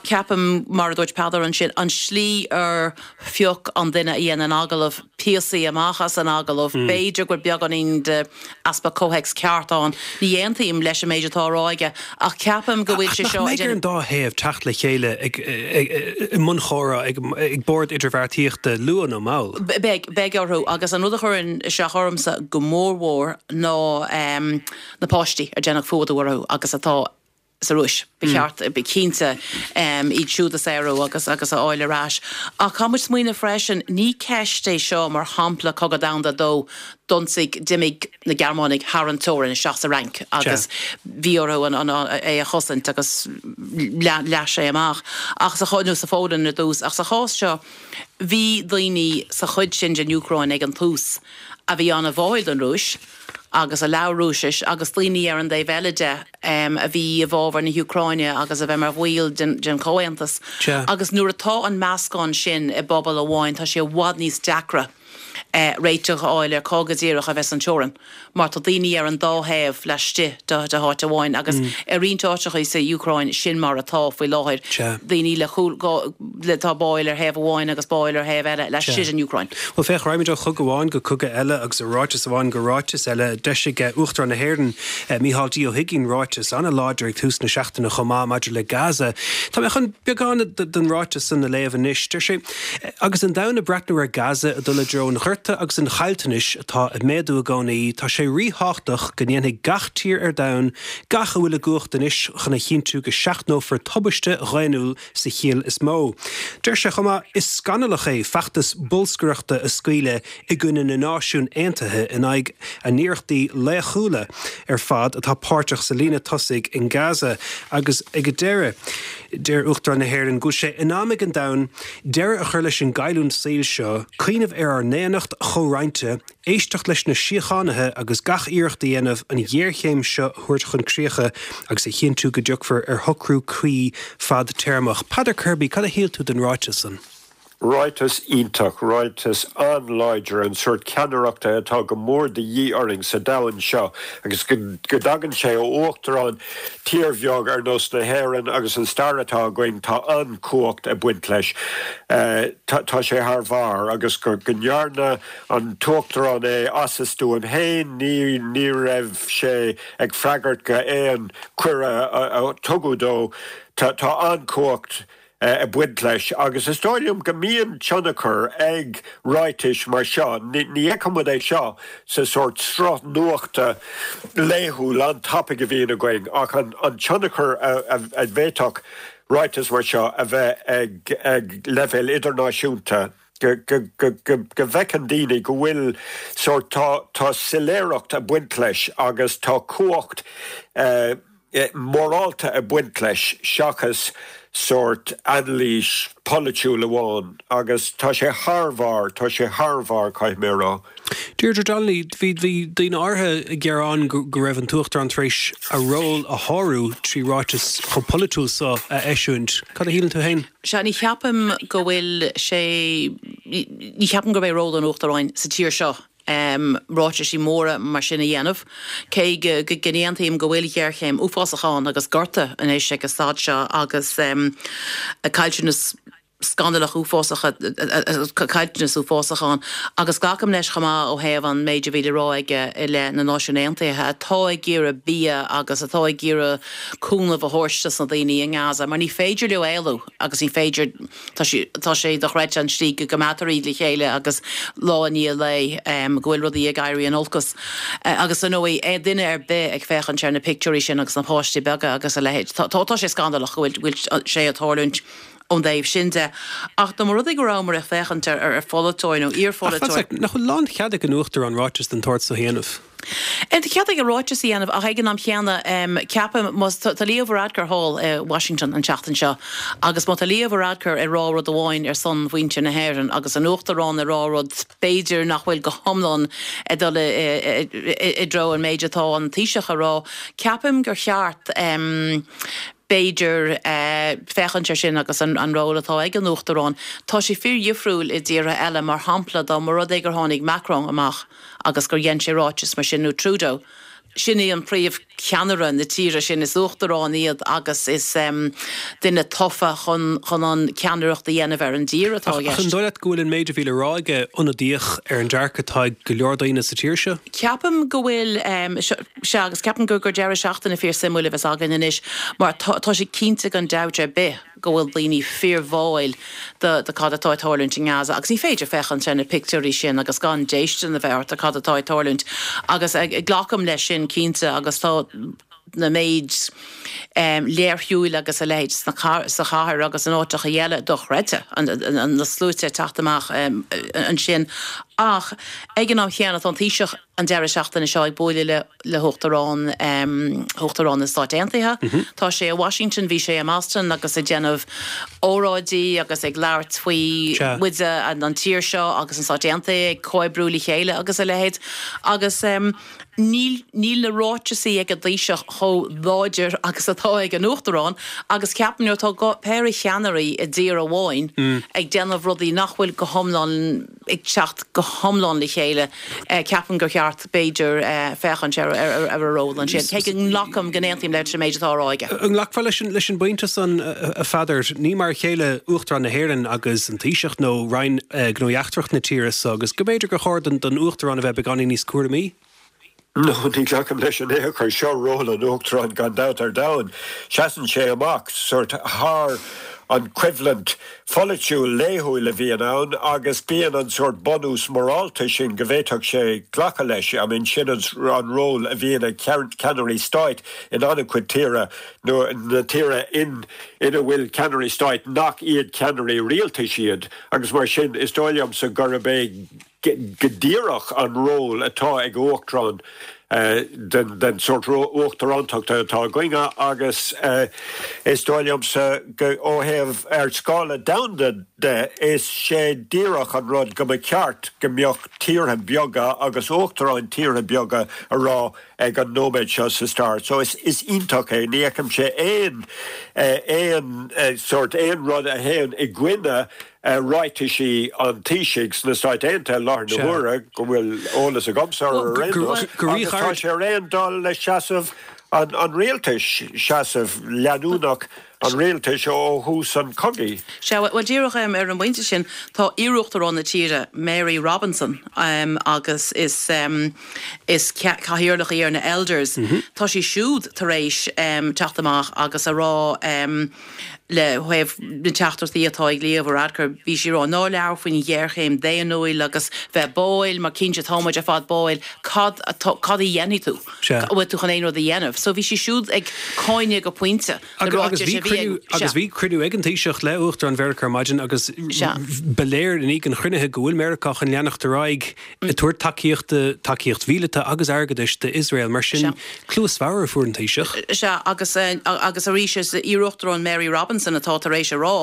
Ceapaim, mar a dúirt Peadar ansin, an slí ar phioc an duine a dhein an agallamh píosaí amach as an agallamh, b'fhéidir go bhfuil beagáinín de easpa comhthéacs ceart ann. Ní aontaím leis an méid atá á rá aige ach ceapaim go bhfuil sé seo. Ach nach mbeidh ar an dá thaobh teacht le chéile ag i mbun chomhrá ag ag bord idirbheartaíochta luath nó mall? Beidh, beidh orthu agus an rud a chuireann isteach ormsa go mórmhór ná na páistí ar déanadh fuadú orthu agus atá sa Rúis. Ba cheart, ba cinnte iad siúd a saoradh agus agus a fháil ar ais. Ach caithfidh muid smaoineamh freisin, ní ceist é seo mar shampla Cogadh Domhanda a Dó, d'ionsaigh, d'imigh na Gearmánaigh thar an teorainn isteach sa Fhrainc agus bhí orthu an, an, é a chosaint agus leath sé amach. Ach sa, nó sa Pholainn ar dtús. Ach sa chás seo, bhí daoine sa chuid sin den Úcráin ag an tús a bhí an-bháúil don Rúis, agus a labhair Rúisis agus daoine ar an dtaobh eile de a bhí i bhfabhar na hÚcráine agus a bheith mar bhaill den den Chomhaontas. Agus nuair atá an meascán sin i bpobal amháin tá sé i bhfad níos deacra réiteach a fháil ar cá go díreach a bheas an teorainn mar tá daoine ar an dá thaobh laistigh de de háit amháin agus i roinnt áiteacha sa Úcráin sin mar atá faoi láthair, daoine le cúl le tá báúil ar thaobh amháin agus báúil ar thaobh eile laistigh den Úcráin. Bhuel, féach, raghaimid ó chogadh amháin go cogadh eile agus ó ráiteas amháin go ráiteas eile. D'eisigh Uachtarán na hÉireann, Micheál D. Ó hUigínn, ráiteas an-láidir ag tús na seachtaine chomh maith maidir le Gaza. Tá mé chun beagán den ráiteas san a léamh anois. Deir sé, Agus an domhan ag breathnú ar Gaza ag dul i dtreo an ghorta agus an chaillteanais atá ag méadú i gcónaí, tá sé ríthábhachtach go ndéanfaidh gach tír ar domhan gach a bhfuil i gcumhacht anois chun a chinntiú go seachnófar tubaiste dhaonnúil sa chiall is mó. Deir sé chomh maith, Is scannalach é feachtas bolscaireachta a scaoileadh i gcoinne na Náisiún Aontaithe in aghaidh a n-iarrachtaí laochúla ar fad atá páirteach sa líne tosaigh in Gaza agus ag an deireadh, deir Uachtarán na hÉireann go bhfuil sé in am ag an domhan deireadh a chur leis an gcailliúint saoil seo, cuimhneamh ar ár ndaonnacht chomhroinnte, éisteacht leis na síochánaithe agus gach iarracht a dhéanamh an ghéarchéim seo a thabhairt chun críche agus a chinntiú go dtiocfar ar shocrú cuí fadtéarmach. Peadar Kirby, cad a shíl tú den ráiteas san? Ráiteas iontach, ráiteas an-láidir, an sórt ceannaireachta atá go mór de dhíth orainn sa domhan seo agus go dtagann sé ó uachtarán tír bheag ar nós na hÉireann agus an stair atá againn, tá an-chumhacht ag baint leis. Tá sé thar bharr agus go ndearna an t-uachtarán é as a stuaim féin, ní ní raibh sé ag freagairt go aon cuireadh a tugadh dó. Tá an-chumhacht ag baint leis agus is dóigh liom go mbíonn tionchar ag ráitis mar seo. Ní fheiceann muid é seo sa sórt sruth nuachta laethúil an-tapaidh a bhíonn againn ach an tionchar a bhféadfadh ráiteas mar seo a bheith ag leibhéal idirnáisiúnta, go bhfeiceann daoine go bhfuil sórt, tá soiléireacht ag baint leis agus tá cumhacht mhorálta ag baint leis seachas sórt anailís pholaitiúil amháin agus tá sé thar bharr, tá sé thar bharr, caithfidh mé a rá. Deirdre Donnelly, bhí bhí daoine áirithe ag gearán go go raibh an tUachtarán tar éis a ról a shárú trí ráiteas chomh polaitiúil so a eisiúint. Cad a shíleann tú féin? Sea, ní cheapaim go bhfuil sé, ní cheapaim gurb é ról an Uachtaráin sa tír seo ráitisí móra mar sin a dhéanamh, cé go n-aontaím go bhfuil géarchéim uafásach ann agus gorta anois ag an staid seo agus caillteanas scannalach uafásach, caillteanas uafásach ann. Agus glacaim leis chomh maith ó thaobh an méid a bhí le rá aige i leith na Náisiún Aontaithe atá ag iarraidh bia agus atá ag iarraidh cúnamh a thabhairt dos na daoine i nGaza mar ní féidir leo éalú agus ní féidir Tá sé, tá sé dochreidte an tslí go gcoimeádtar iad le chéile agus lá i ndiaidh lae go bhfuil rudaí ag éirí in olcas. Agus ar ndóigh, aon duine ar bith ag féachaint ar na pictiúirí sin agus na páistí beaga agus a leithéid, tá, tá sé scandalach go bhfuil, bhfuil sé ag tarlúint ón dtaobh sin de. Ach dá mba rud é go rabhamar ag féachaint ar, ar pholaiteoir nó Ach fan iarpholaiteoir. sec, nach bhfuil lánchead ag an Uachtarán ráiteas den tsórt so a dhéanamh? Tá cead aige ráiteas a dhéanamh ach ag an am chéanna ceapaim má tá Leo Varadkar thall i Washington an tseachtain seo agus má tá Leo Varadkar ag rá rud amháin ar son mhuintir na hÉireann agus an Uachtarán ag rá rud b'fhéidir nach bhfuil go hiomlán ag dul i dtreo an méid atá an Taoiseach a rá, ceapaim gur cheart b'fhéidir féachaint ar sin agus an ról atá ag an Uachtarán. Tá sé fíordhifriúil i dtíortha eile, mar shampla dá mba rud é gur tháinig Macron amach agus gur dhein sé ráiteas mar sin nó Trudeau, Sin é an príomhcheannaire na tíre sin is uachtarán iad agus is um, duine tofa chun chun an ceannaireacht a dhéanamh ar an dtír atá Ach an dóigh leat go bhfuil an méid a bhí le rá aige ionadaíoch ar an dearcadh atá ag go leor daoine sa tír seo? Ceapaim go bhfuil um, se agus ceapaim gur gur deireadh seachtaine fíorsuimiúil a bheas againn anois mar tá tá sé cinnte gan dabht ar bith go bhfuil daoine fíorbháúil de de cad atá ag tarlúint in Gaza agus ní féidir féachaint ar na pictiúirí sin agus gan déistin a bheith ort cad atá ag tarlúint agus ag glacaim leis sin cinnte agus tá na méid um, léirshiúil agus a leithéid sa chathair agus in áiteacha eile dochreidte an na sluaite teacht amach um, ansin ach ag an am chéanna tá an Taoiseach an deireadh seachtaine seo ag bualadh le le huachtarán um, uachtarán na Stát Aontaithe. Mm -hmm. Tá sé i Washington bhí sé i mBoston agus ag déanamh óráidí agus ag labhairt faoi muide an an tír seo agus an Stát Aontaithe ag comhoibriú le chéile agus a leithéid agus um, níl níl na ráitisí ag an Taoiseach chomh láidir agus atá ag an uachtarán agus ceapaim nuair atá péire cheannairí i dtír amháin mm. ag déanamh rudaí nach bhfuil go hiomlán ag teacht go hiomlán le chéile eh, ceapaim gur cheart b'fhéidir eh, féachaint ar ar ar a ról ansin. Cé go nglacaim go n-aontaím leis an méid atá á rá aige. An nglacfá leis an leis an bpointe san a Pheadair ní mar a chéile Uachtarán na hÉireann agus an Taoiseach nó Roinn eh, Gnóthaí Eachtracha na tíre so agus go mb'fhéidir gur chóir don don Uachtarán a bheith beagáinín níos cúramaí? No, ní ghlacaim leis in aon chor seo ról an uachtaráin gan dabht ar domhan. Seasann sé amach sort thar an choimhlint pholaitiúil laethúil a bhíonn ann agus bíonn an sort bunús morálta sin go bhféadfadh sé glacadh leis I mean sin an ról a bhíonn ag ceannairí stáit in an-chuid tíortha nó na tíortha in ina bhfuil ceannairí stáit nach iad ceannairí rialtais iad agus mar sin is dóigh liomsa gurb é go díreach an ról atá ag uachtarán den den sort uachtarántacht atá againne agus is dóigh liomsa go ó thaobh ar scála domhanda de is sé díreach an rud go mba cheart go mbeadh tíortha beaga agus uachtaráin tíortha beaga a rá ag an nóiméad seo sa stair. So is is iontach é ní fheicim sé aon aon sort aon rud a théann i gcoinne ráitisí an Taoisigh sna Stáit Aontaithe láthair na huaire go bhfuil eolas agamsa ar aon tá sé ar aon dul le seasamh an, an rialtais seasamh leanúnach an rialtais ó thús an chogaidh. Sea well díreach um, ar an bpointe sin tá iar-uachtarán na tíre Mary Robinson um, agus is um, is cathaoirleach í ar na Elders. Mm -hmm. Tá sí siúd tar éis um, teacht amach agus a rá um, le thaobh na teachtaireachtaí atá ag Leo Varadkar bhí sí rá ná labhair faoin ghéarchéim daonnúil agus bheith báúil mar cinnte táimid ar fad báúil cad cad a dhéanfaidh tú bhfuil tú chun aon rud a dhéanamh. So bhí sí siúd ag cáineadh go pointe agus bhí agus bhí cruinniú ag an Taoiseach le Uachtarán Mheiriceá ar maidin agus ba léir i ndiaidh an chruinnithe go bhfuil Meiriceá chun leanacht ar aghaidh ag tabhairt tacaíochta tacaíocht mhíleata agus airgeadais d'Iosrael mar sin cluas bhodhar a fuair an Taoiseach. Sea agus agus arís is iar-uachtarán Mary Robinson atá tar éis a rá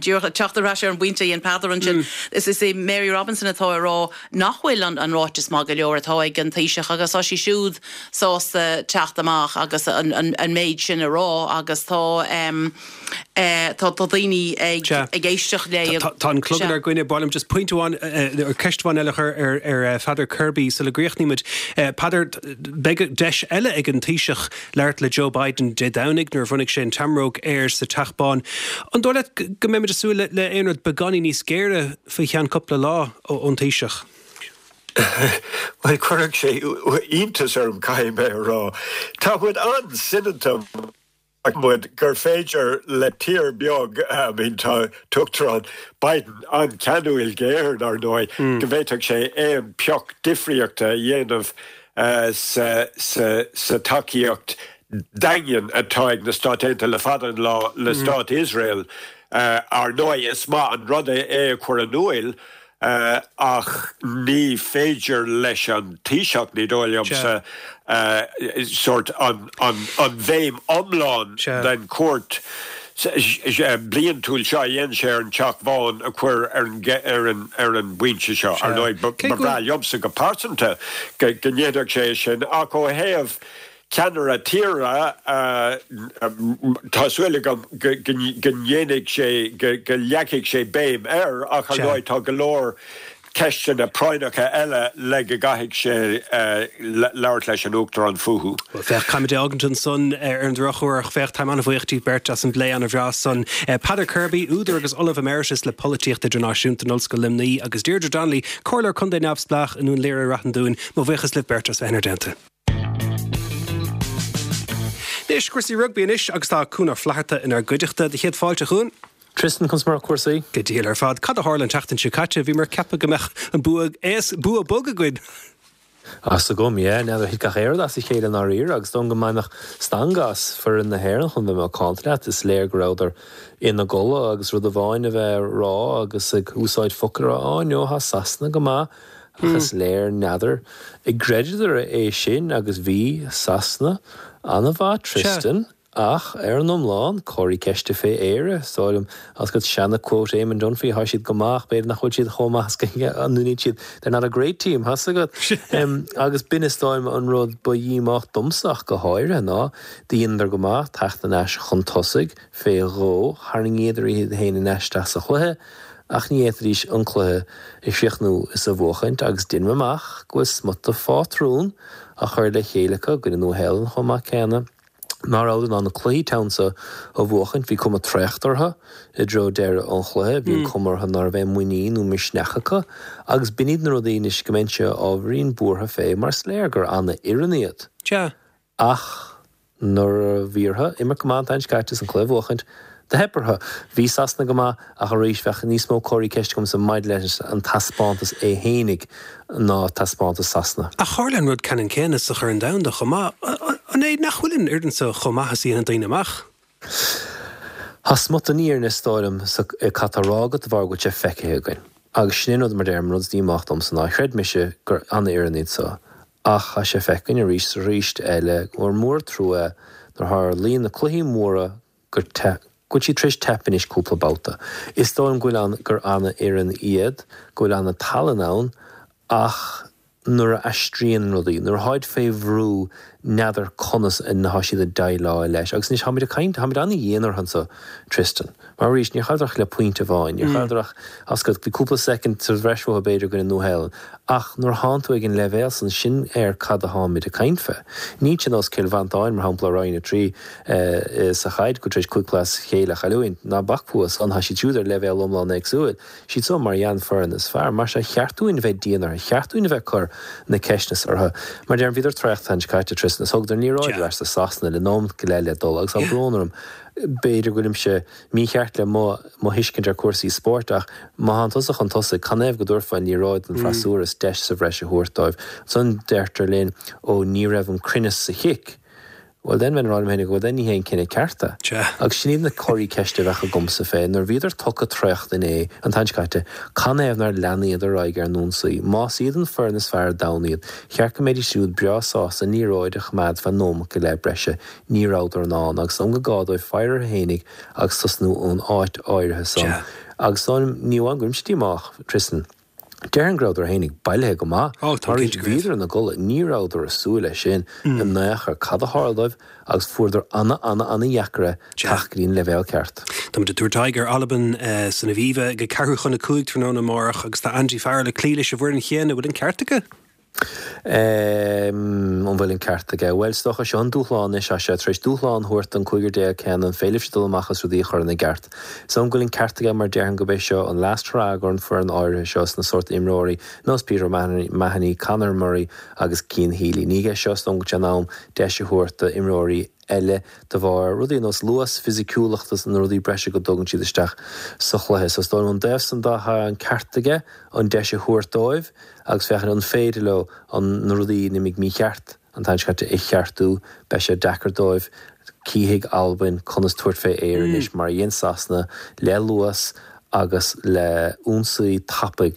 díreach teacht ar ais ar an bpointe an Peadar ansin is is é Mary Robinson atá a rá nach bhfuil an an ráiteas maith go leor atá ag an Taoiseach agus tá sí siúd sásta teacht amach agus an, an, an méid sin a rá agus tá um, uh, tá tá daoine ag ag éisteacht le Tá an clog ar gcoinne bailm just point amháin ar ceist amháin eile chur ar ar Pheadar Kirby sula gcríochnaímid. Peadar beidh deis eile ag an Taoiseach labhairt le Joe Biden Dé Domhnaigh nuair a bhronnfaidh sé an tseamróg air sa Teach Bán. An dóigh leat go mbeimid ag súil le aon rud beagáinín níos géire faoi cheann cúpla lá ón Taoiseach? Well chuirfeadh sé iontas orm caithfidh mé a rá. Tá muid an-soineanta muid gur féidir le tír beag I mean tá tUachtarán Biden an-cheanúil géar ar ndóigh go bhféadfadh sé aon pioc difríochta a dhéanamh uh, sa, sa, sa tacaíocht daingean atá ag na Stáit Aontaithe le fada an lá le Stát Iosrael uh, ar ndóigh is maith an rud é a chur in iúl Uh, ach ní féidir leis an Taoiseach ní dóigh liomsa uh, sort an, an, an bhéim iomlán den chuairt bliantúil seo a dhéanann sé ar an Teach Bán a chur ar an, ar an, ar an bpointe seo ar ndóigh ba bhreá liomsa go pearsanta go ndéanfadh sé sin ach ó thaobh ceannaire tíre tá súil agam go ndéanfaidh sé go leagfaidh sé béim air ach ar ndóigh tá go leor ceisteanna práinneacha eile le go gcaithfidh sé labhairt leis an Uachtarán fúthu. Well féach caithfimid é a fhágaint ansan ar an drochuair féach táim an-bhuíoch díbh beirt as an bplé an-bhreá san. Peadar Kirby, údar agus Ollamh Emeritus le Polaitíocht Idirnáisiúnta in Ollscoil Luimnigh agus Deirdre Donnelly, Comhairleoir Contae Neamhspleách i nDún Laoghaire-Rath an Dúin, mo bhuíochas libh beirt as bheith inár dteannta. Anois cúrsaí rugbaí anois agus tá Cuan Ó Flatharta inár gcuideachta do chéad fáilte Chuan. Tristan conas mar cúrsaí? Go diail ar fad cad a tharla an tseachtain seo caite bhí mar ceapadh go mbeadh an bua bua bog againn. As agam é n'fheadar thit gach aon rud as a chéile dáiríre agus don go mbeadh stangadh as foireann na hÉireann chun bheith macánta leat is léir go rabhadar ina gcodladh agus rud amháin a bheith rá agus ag úsáid focail rá á no tá Sasana go maith ach is léir n'fheadar an gcreideadar é sin agus bhí Sasana an-mhaith Tristan. Ach ar an iomlán comharthaí ceiste fé Éire sáim as go seana quote Eamon Dunphy tá siad go maith b'fhéidir nach bhfuil siad chomh maith an siad they're not a great team has agat um, agus b'in is dóigh liom an rud ba dhíomách domsa ach go háirithe ná dheineadar go maith teacht aníos chun tosaigh fé dhó tharraingíodar iad féin isteach sa chluiche ach ní fhéadfaidís an cluiche a chríochnú is a bhuachaint agus deinim amach go bhfuil smuta phátrún a chur le chéile acu go Nua-Shéalainn chomh maith céanna. Ná raibh in ann na cluichí teann sa a bhuachaint bhí cuma traochta orthu i dtreo deireadh an chluiche, bhí an cuma orthu ná raibh aon muinín nó misneach acu agus b'in iad na rudaí anois go mbeinnse ábhairín buartha fé mar is léir gur ana-fhoireann iad. Sea. Ach nuair a bhí orthu imirt go maith an t-am seo caite is an cluiche a bhuachaint, do theip orthu. Bhí Sasana go maith ach arís bheadh níos mó comharthaí ceiste agamsa maidir leis an taispeántas é fhéinig ná taispeántas Sasana. Ach tharla an rud ceannann céanna sa Chorn Domhanda chomh maith. An é nach bhfuil an fhoireann seo chomh maith is a dhéanann daoine amach? Tá smut den fhírinne is dóigh liom sa cad tá á rá agat de bharr go bhfuil sé feicthe againn. Agus sin é an rud mar deirim, rud is díomách domsa ná chreid mise gur ana-fhoireann iad seo. Ach tá sé feicthe againn arís is arís eile gur mór trua nuair a tharlaíonn na cluichí móra gur te go bhfuil siad tar éis teip anois cúpla babhta. Is dóigh liom go bhfuil an gur ana-fhoireann iad, go bhfuil ana-tallann ann, ach nuair a aistríonn rudaí, nuair atáid fé bhrú, n'fheadar conas atá siad ag déileáil leis. Agus anois táimid ag caint, táimid ana-dhian orthu anso, Tristan. Mar arís, níor chailleadar ach le pointe amháin, níor chailleadar ach, as go, bhí cúpla soicind sa bhreis uathu b'fhéidir i gcoinne Nua-Shéalainn. Ach nuair a thánn tú ag an leibhéal san, sin ar cad a tháimid ag caint fé. Níl sé nós Cill Mhantáin, mar shampla, Roinn a trí sa chaid, go tar éis cúig chluiche as a chéile a chailliúint, ná bac fúthu san, tá siad siúd ar leibhéal iomlán éagsúil. Siad so mar dhea an foireann is fearr. Mar sea, cheart dúinn a bheith dian orthu, cheart dúinn a bheith ag cur na ceisteanna orthu. Mar deirim, bhíodar traochta an tseachtain seo caite, Tristan, is thugadar an liathróid ar ais do Sasana le nóimeat go leith le dul agus tá brón orm. B'fhéidir go bhfuilimse mícheart le mo mo thuiscint ar chúrsaí spóirt ach má thánn tusa chun tosaigh, canathaobh go dtabharfá an liathróid don freasúra is deis sa bhreis a thabhairt dóibh? Ansan deirtear linn ó ní raibh an cruinneas sa chic. Bhuel then bheinn ag rá liom féinig bhuel then ní hé an cinneadh ceart é. Agus sin iad na comharthaí ceiste a bheadh agamsa fé nuair a bhíodar tugtha traochta inné, an t-am seo caite, canathaobh nár leanadar ar aghaidh ar an ionsaí? Más iad an foireann is fearr ar domhan iad, cheart go mbeidís siúd breá sásta an liathróid a choimeád feadh nóimeat go leith breise. Ní rabhadar in ann, agus is dóigh gur gá dóibh faire orthu fhéinig agus tosnú ón áit áirithe san. Agus ní amháin go bhfuilimse díomách, Tristan, déarfainn go rabhadar fhéinig bailithe go maith. Ó, tá Mar cinnte go raibh. bhíodar ina gcodladh, ní rabhadar ag súil leis sin in aon chor. Cad a tharla dóibh agus fuaireadar ana, ana, ana dheacair é teacht go dtí an leibhéal ceart. Táimid ag tabhairt aghaidh ar Albain san Aviva ag ceathrú chun a cúig tráthnóna amárach agus tá Andy Farrell ag cloí leis an bhfoireann chéanna. Bhfuil an ceart aige? An bhfuil an ceart aige? Bhuel, is dócha, seo an dúshlán anois, tá sé tar éis dúshlán a thabhairt don cúigear déag céanna, an féidir libhse dul amach is rudaí a chur ina gceart? Is dóigh liom go bhfuil an ceart aige mar déarfainn gurb é seo an last hurrah gon foireann áirithe seo sna sórt imreoirí nós Peter O'Mahony, Conor Murray agus Cian Healy. Ní hé seo is dóigh liom go bhfuil sé in am deis a thabhairt do imreoirí eile de bharr rudaí ar nós luas, fisiciúlacht agus na rudaí breise go dtugann siad isteach sa chluiche. So is dóigh liom ón dtaobh san de tá an ceart aige an deis a thabhairt dóibh agus féachaint an féidir leo an na rudaí a d'imigh mícheart an t-am seo caite a cheartú. Beidh sé deacair dóibh. Cífidh Albain conas tabhairt fé Éire anois mar a dhein Sasana le luas agus le ionsaí tapaidh.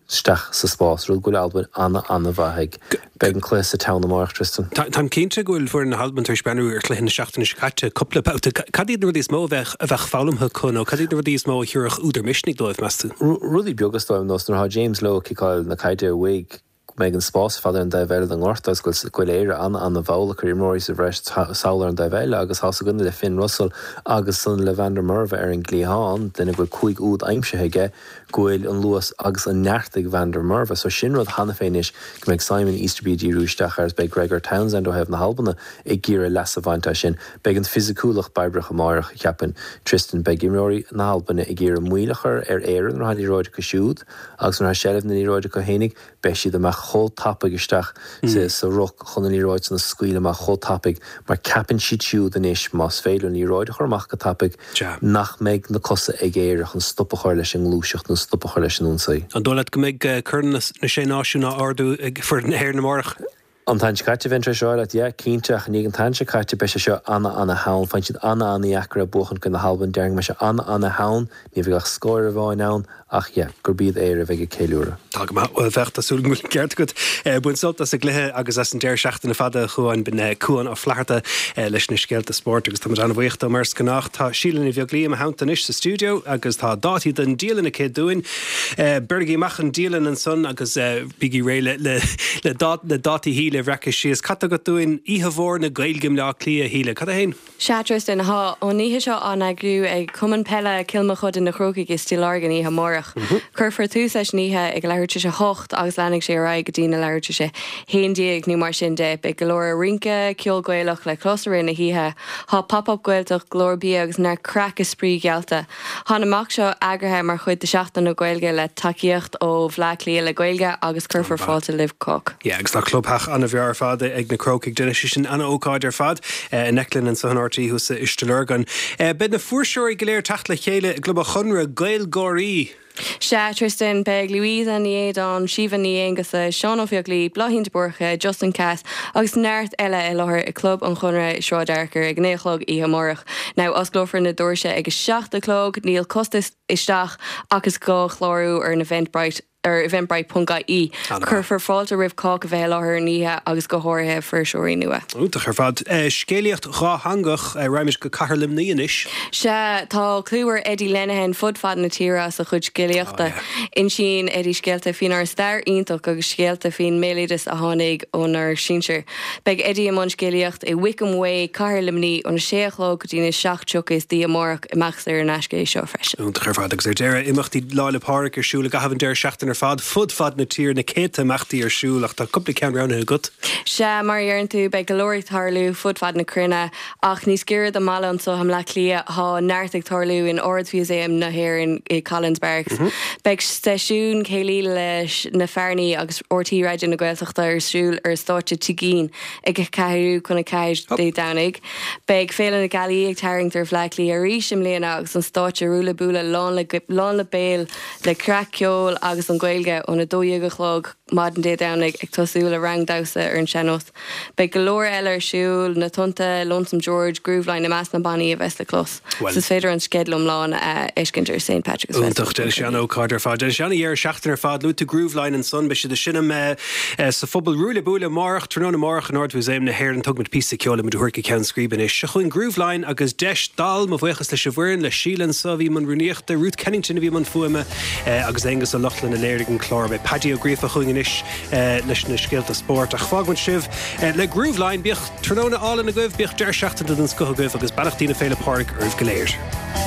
isteach sa spás, rud go bhfuil Albain ana-ana-mhaith ag. Beidh an cluiche sa Town amárach, Tristan. Táim cinnte go bhfuil foireann na hAlban tar éis breathnú ar chluiche na seachtaine seo caite cúpla babhta. Cad iad na rudaí is mó a bheadh a bheadh foghlamtha acu nó cad iad na rudaí is mó a thabharfadh údar misnigh dóibh, meas tú? Rudaí beaga is dóigh liom, nós nuair atá James Lowe ag ciceáil na caide uaidh, go mbeidh an spás ar fad ar an dtaobh eile den ngort agus go bhfuil Éire an-an-mhall ag cur imreoirí sa bhreis sall ar an dtaobh eile agus tá's againn le Finn Russell agus san le Van der Merwe ar an gcliathán, duine go bhfuil cúig úd aimsithe aige, go bhfuil an luas agus an neart ag Van der Merwe. So sin rud cheana féin anois go mbeidh Simon Easterby ag díriú isteach air agus beidh Gregor Townsend ó thaobh na hAlbana ag iarraidh leas a bhaint as sin. Beidh an fisiciúlacht baibreach amárach, cheapfainn, Tristan. Beidh imreoirí na hAlbana ag iarraidh moill a chur ar Éirinn nuair atá an liathróid acu siúd agus nuair atá seilbh na liathróide acu fhéinig, beidh siad amach chomh tapaidh isteach sa ruc chun an liathróid san a scaoileadh amach chomh tapaidh mar ceapann siad siúd anois más féidir an liathróid a chur amach go tapaidh nach mbeidh na cosa ag Éire chun stop a chur leis an ngluaiseacht nó stop a chur leis an ionsaí. An dóigh leat go mbeidh Corn na Sé Náisiún á ardú ag foireann na hÉireann amárach? An t-am seo caite bheinn tar éis rá leat, yeah, cinnte, ach i ndiaidh an t-am seo caite beidh sé seo ana-ana-theann. Faigheann siad ana-ana-dheacair é buachan i gcoinne na hAlban, déarfainn go mbeidh sé ana-ana-theann, ní bheidh ach scór amháin ann, ach yeah, gurb iad Éire a bheidh ag ceiliúradh. Tá go maith, bhuel bheadh, tá súil agam go bhfuil an ceart agat. Bain sult as an gcluiche agus as an deireadh seachtaine fada, a Chuáin, b'in Cuán Ó Flatharta leis na scéalta spóirt agus táimid an-bhuíoch dó mar is gnách. Tá Síle Ní Bheaglaoí i mo theannta anois sa stiúideo agus tá dátaí don dialann aici dúinn. Beirigí amach an dialann ansan agus bígí réidh le le dátaí Shíle a bhreacadh síos. Cad tá agat dúinn Oíche Mhór na Gaeilge i mBleá Cliath, a Shíle? Cad é fhéin? Sea, Tristan, tá an oíche seo á n-eagrú ag Cumann Peile Cill Mochuda Na Crócaigh i Stigh Lorgan oíche amárach. Cuirfear tús leis an oíche ag leathuair tar éis a hocht agus leanfaidh sé ar aghaidh go dtí na leathuair tar éis a haon déag nó mar sin de. Beidh go leor rince, ceol Gaelach le clos i rith na hoíche. Tá Pop-Up Gaeltacht, go leor bia agus neart craic is spraoi geallta. Tá an imeacht seo eagraithe mar chuid de Sheachtain na Gaeilge le tacaíocht ó Bhleá Cliath le Gaeilge agus cuirfear fáilte roimh chách. Yeah, agus tá clubtheach an-bhreá ar fad ag na Crócaigh. Déanfaidh sé sin an-ócáid ar fad in Eiclinn anso in RTÉ thuas i Stigh Lorgan. Beidh na fuirseoirí go léir ag teacht le chéile i gClub an Chonradh, GaelGáirí! Sea, Tristan, beidh Louisa Ní Éideáin, Síomha Ní Aonghusa, Seán Ó Beaglaoi, Bláithín de Búrca, Justin Cass agus neart eile i láthair i gClub an Chonradh i Sráid Fhearchair ag a naoi a chlog oíche amárach. Now, osclófar na doirse ag a seacht a chlog, níl costas isteach ach is gá clárú ar an Eventbrite ar eventbrite ponc ie. Cuirfear fáilte roimh chách a bheith i láthair an oíche agus go háirithe fuirseoirí nua. Iontach ar fad. Scéalaíocht dhátheangach, raghaimid go Cathair Luimnigh anois. Sea, tá clú ar Eddie Lenihan fud fad na tíre as a chuid scéalaíochta. Insíonn Eddie scéalta faoinár stair iontach agus scéalta faoin mbéaloideas a tháinig ónár sinsir. Beidh Eddie i mbun scéalaíocht i Wickham Way, Cathair Luimnigh, óna sé a chlog go dtí na seacht tríocha istoíche amárach. Imeacht saor in aisce é seo freisin. Iontach ar fad. Agus ar deireadh, imeachtaí Lá 'le Pádraig ar siúl i gcaitheamh an deireadh seachtaine ar fad, fud fad na tíre, na céadta imeachtaí ar siúl ach tá cúpla ceann roghnaithe agat. Sea, mar a deireann tú, beidh go leor ag tarlú fud fad na cruinne, ach níos giorra don mbaile anseo i mBleá Cliath, tá neart ag tarlú in Ard-Mhúsaem na hÉireann i Collins Barracks. Beidh seisiún céilí leis na Fearnaigh agus RTÉ Raidió na Gaeltachta ar siúl ar stáitse Tigh Fhinn ag a ceathrú chun a ceathair Dé Domhnaigh. Beidh Féile na Gealaí ag tarraingt ar Bhleá Cliath arís i mbliana agus an stáitse Ruaille Buaille lán le lán le béal le craic, ceol agus an Ghaeilge óna dó dhéag a chlog maidin Dé Domhnaigh ag tosú le rang damhsa ar an sean-nós. Beidh go leor eile ar siúl, Na Tonnta, Lonesome George, Grooveline i measc na bannaí a bheas le clos. Bhuel. Is féidir an sceideal iomlán a fheiscint ar Saint Patrick's Iontach, déanfaidh sé an-ócáid ar fad. Déanfaidh sé an-dheireadh seachtaine ar fad. Luaigh tú Grooveline ansan, beidh siad ag seinm sa phuball Ruaille Buaille amárach, tráthnóna amárach in Ard-Mhúsaem na hÉireann. Tógfaimid píosa ceoil le muid a thabhairt go ceann scríbe anois. Seo chugainn Grooveline agus deis dall. Mo bhuíochas leis an bhfoireann, le Síle anso a bhí i mbun rúnaíochta, Ruth Kennington a bhí i mbun fuaime agus Aonghus Ó Lochlainn a léirigh an clár. Beidh Paddy Ó Gríofa chugainn anois leis na scéalta spóirt. Ach fágfaimid sibh le Grooveline. Bíodh tráthnóna álainn agaibh, bíodh deireadh seachtaine den scoth agaibh agus beannachtaí na Féile Pádraig oraibh go léir.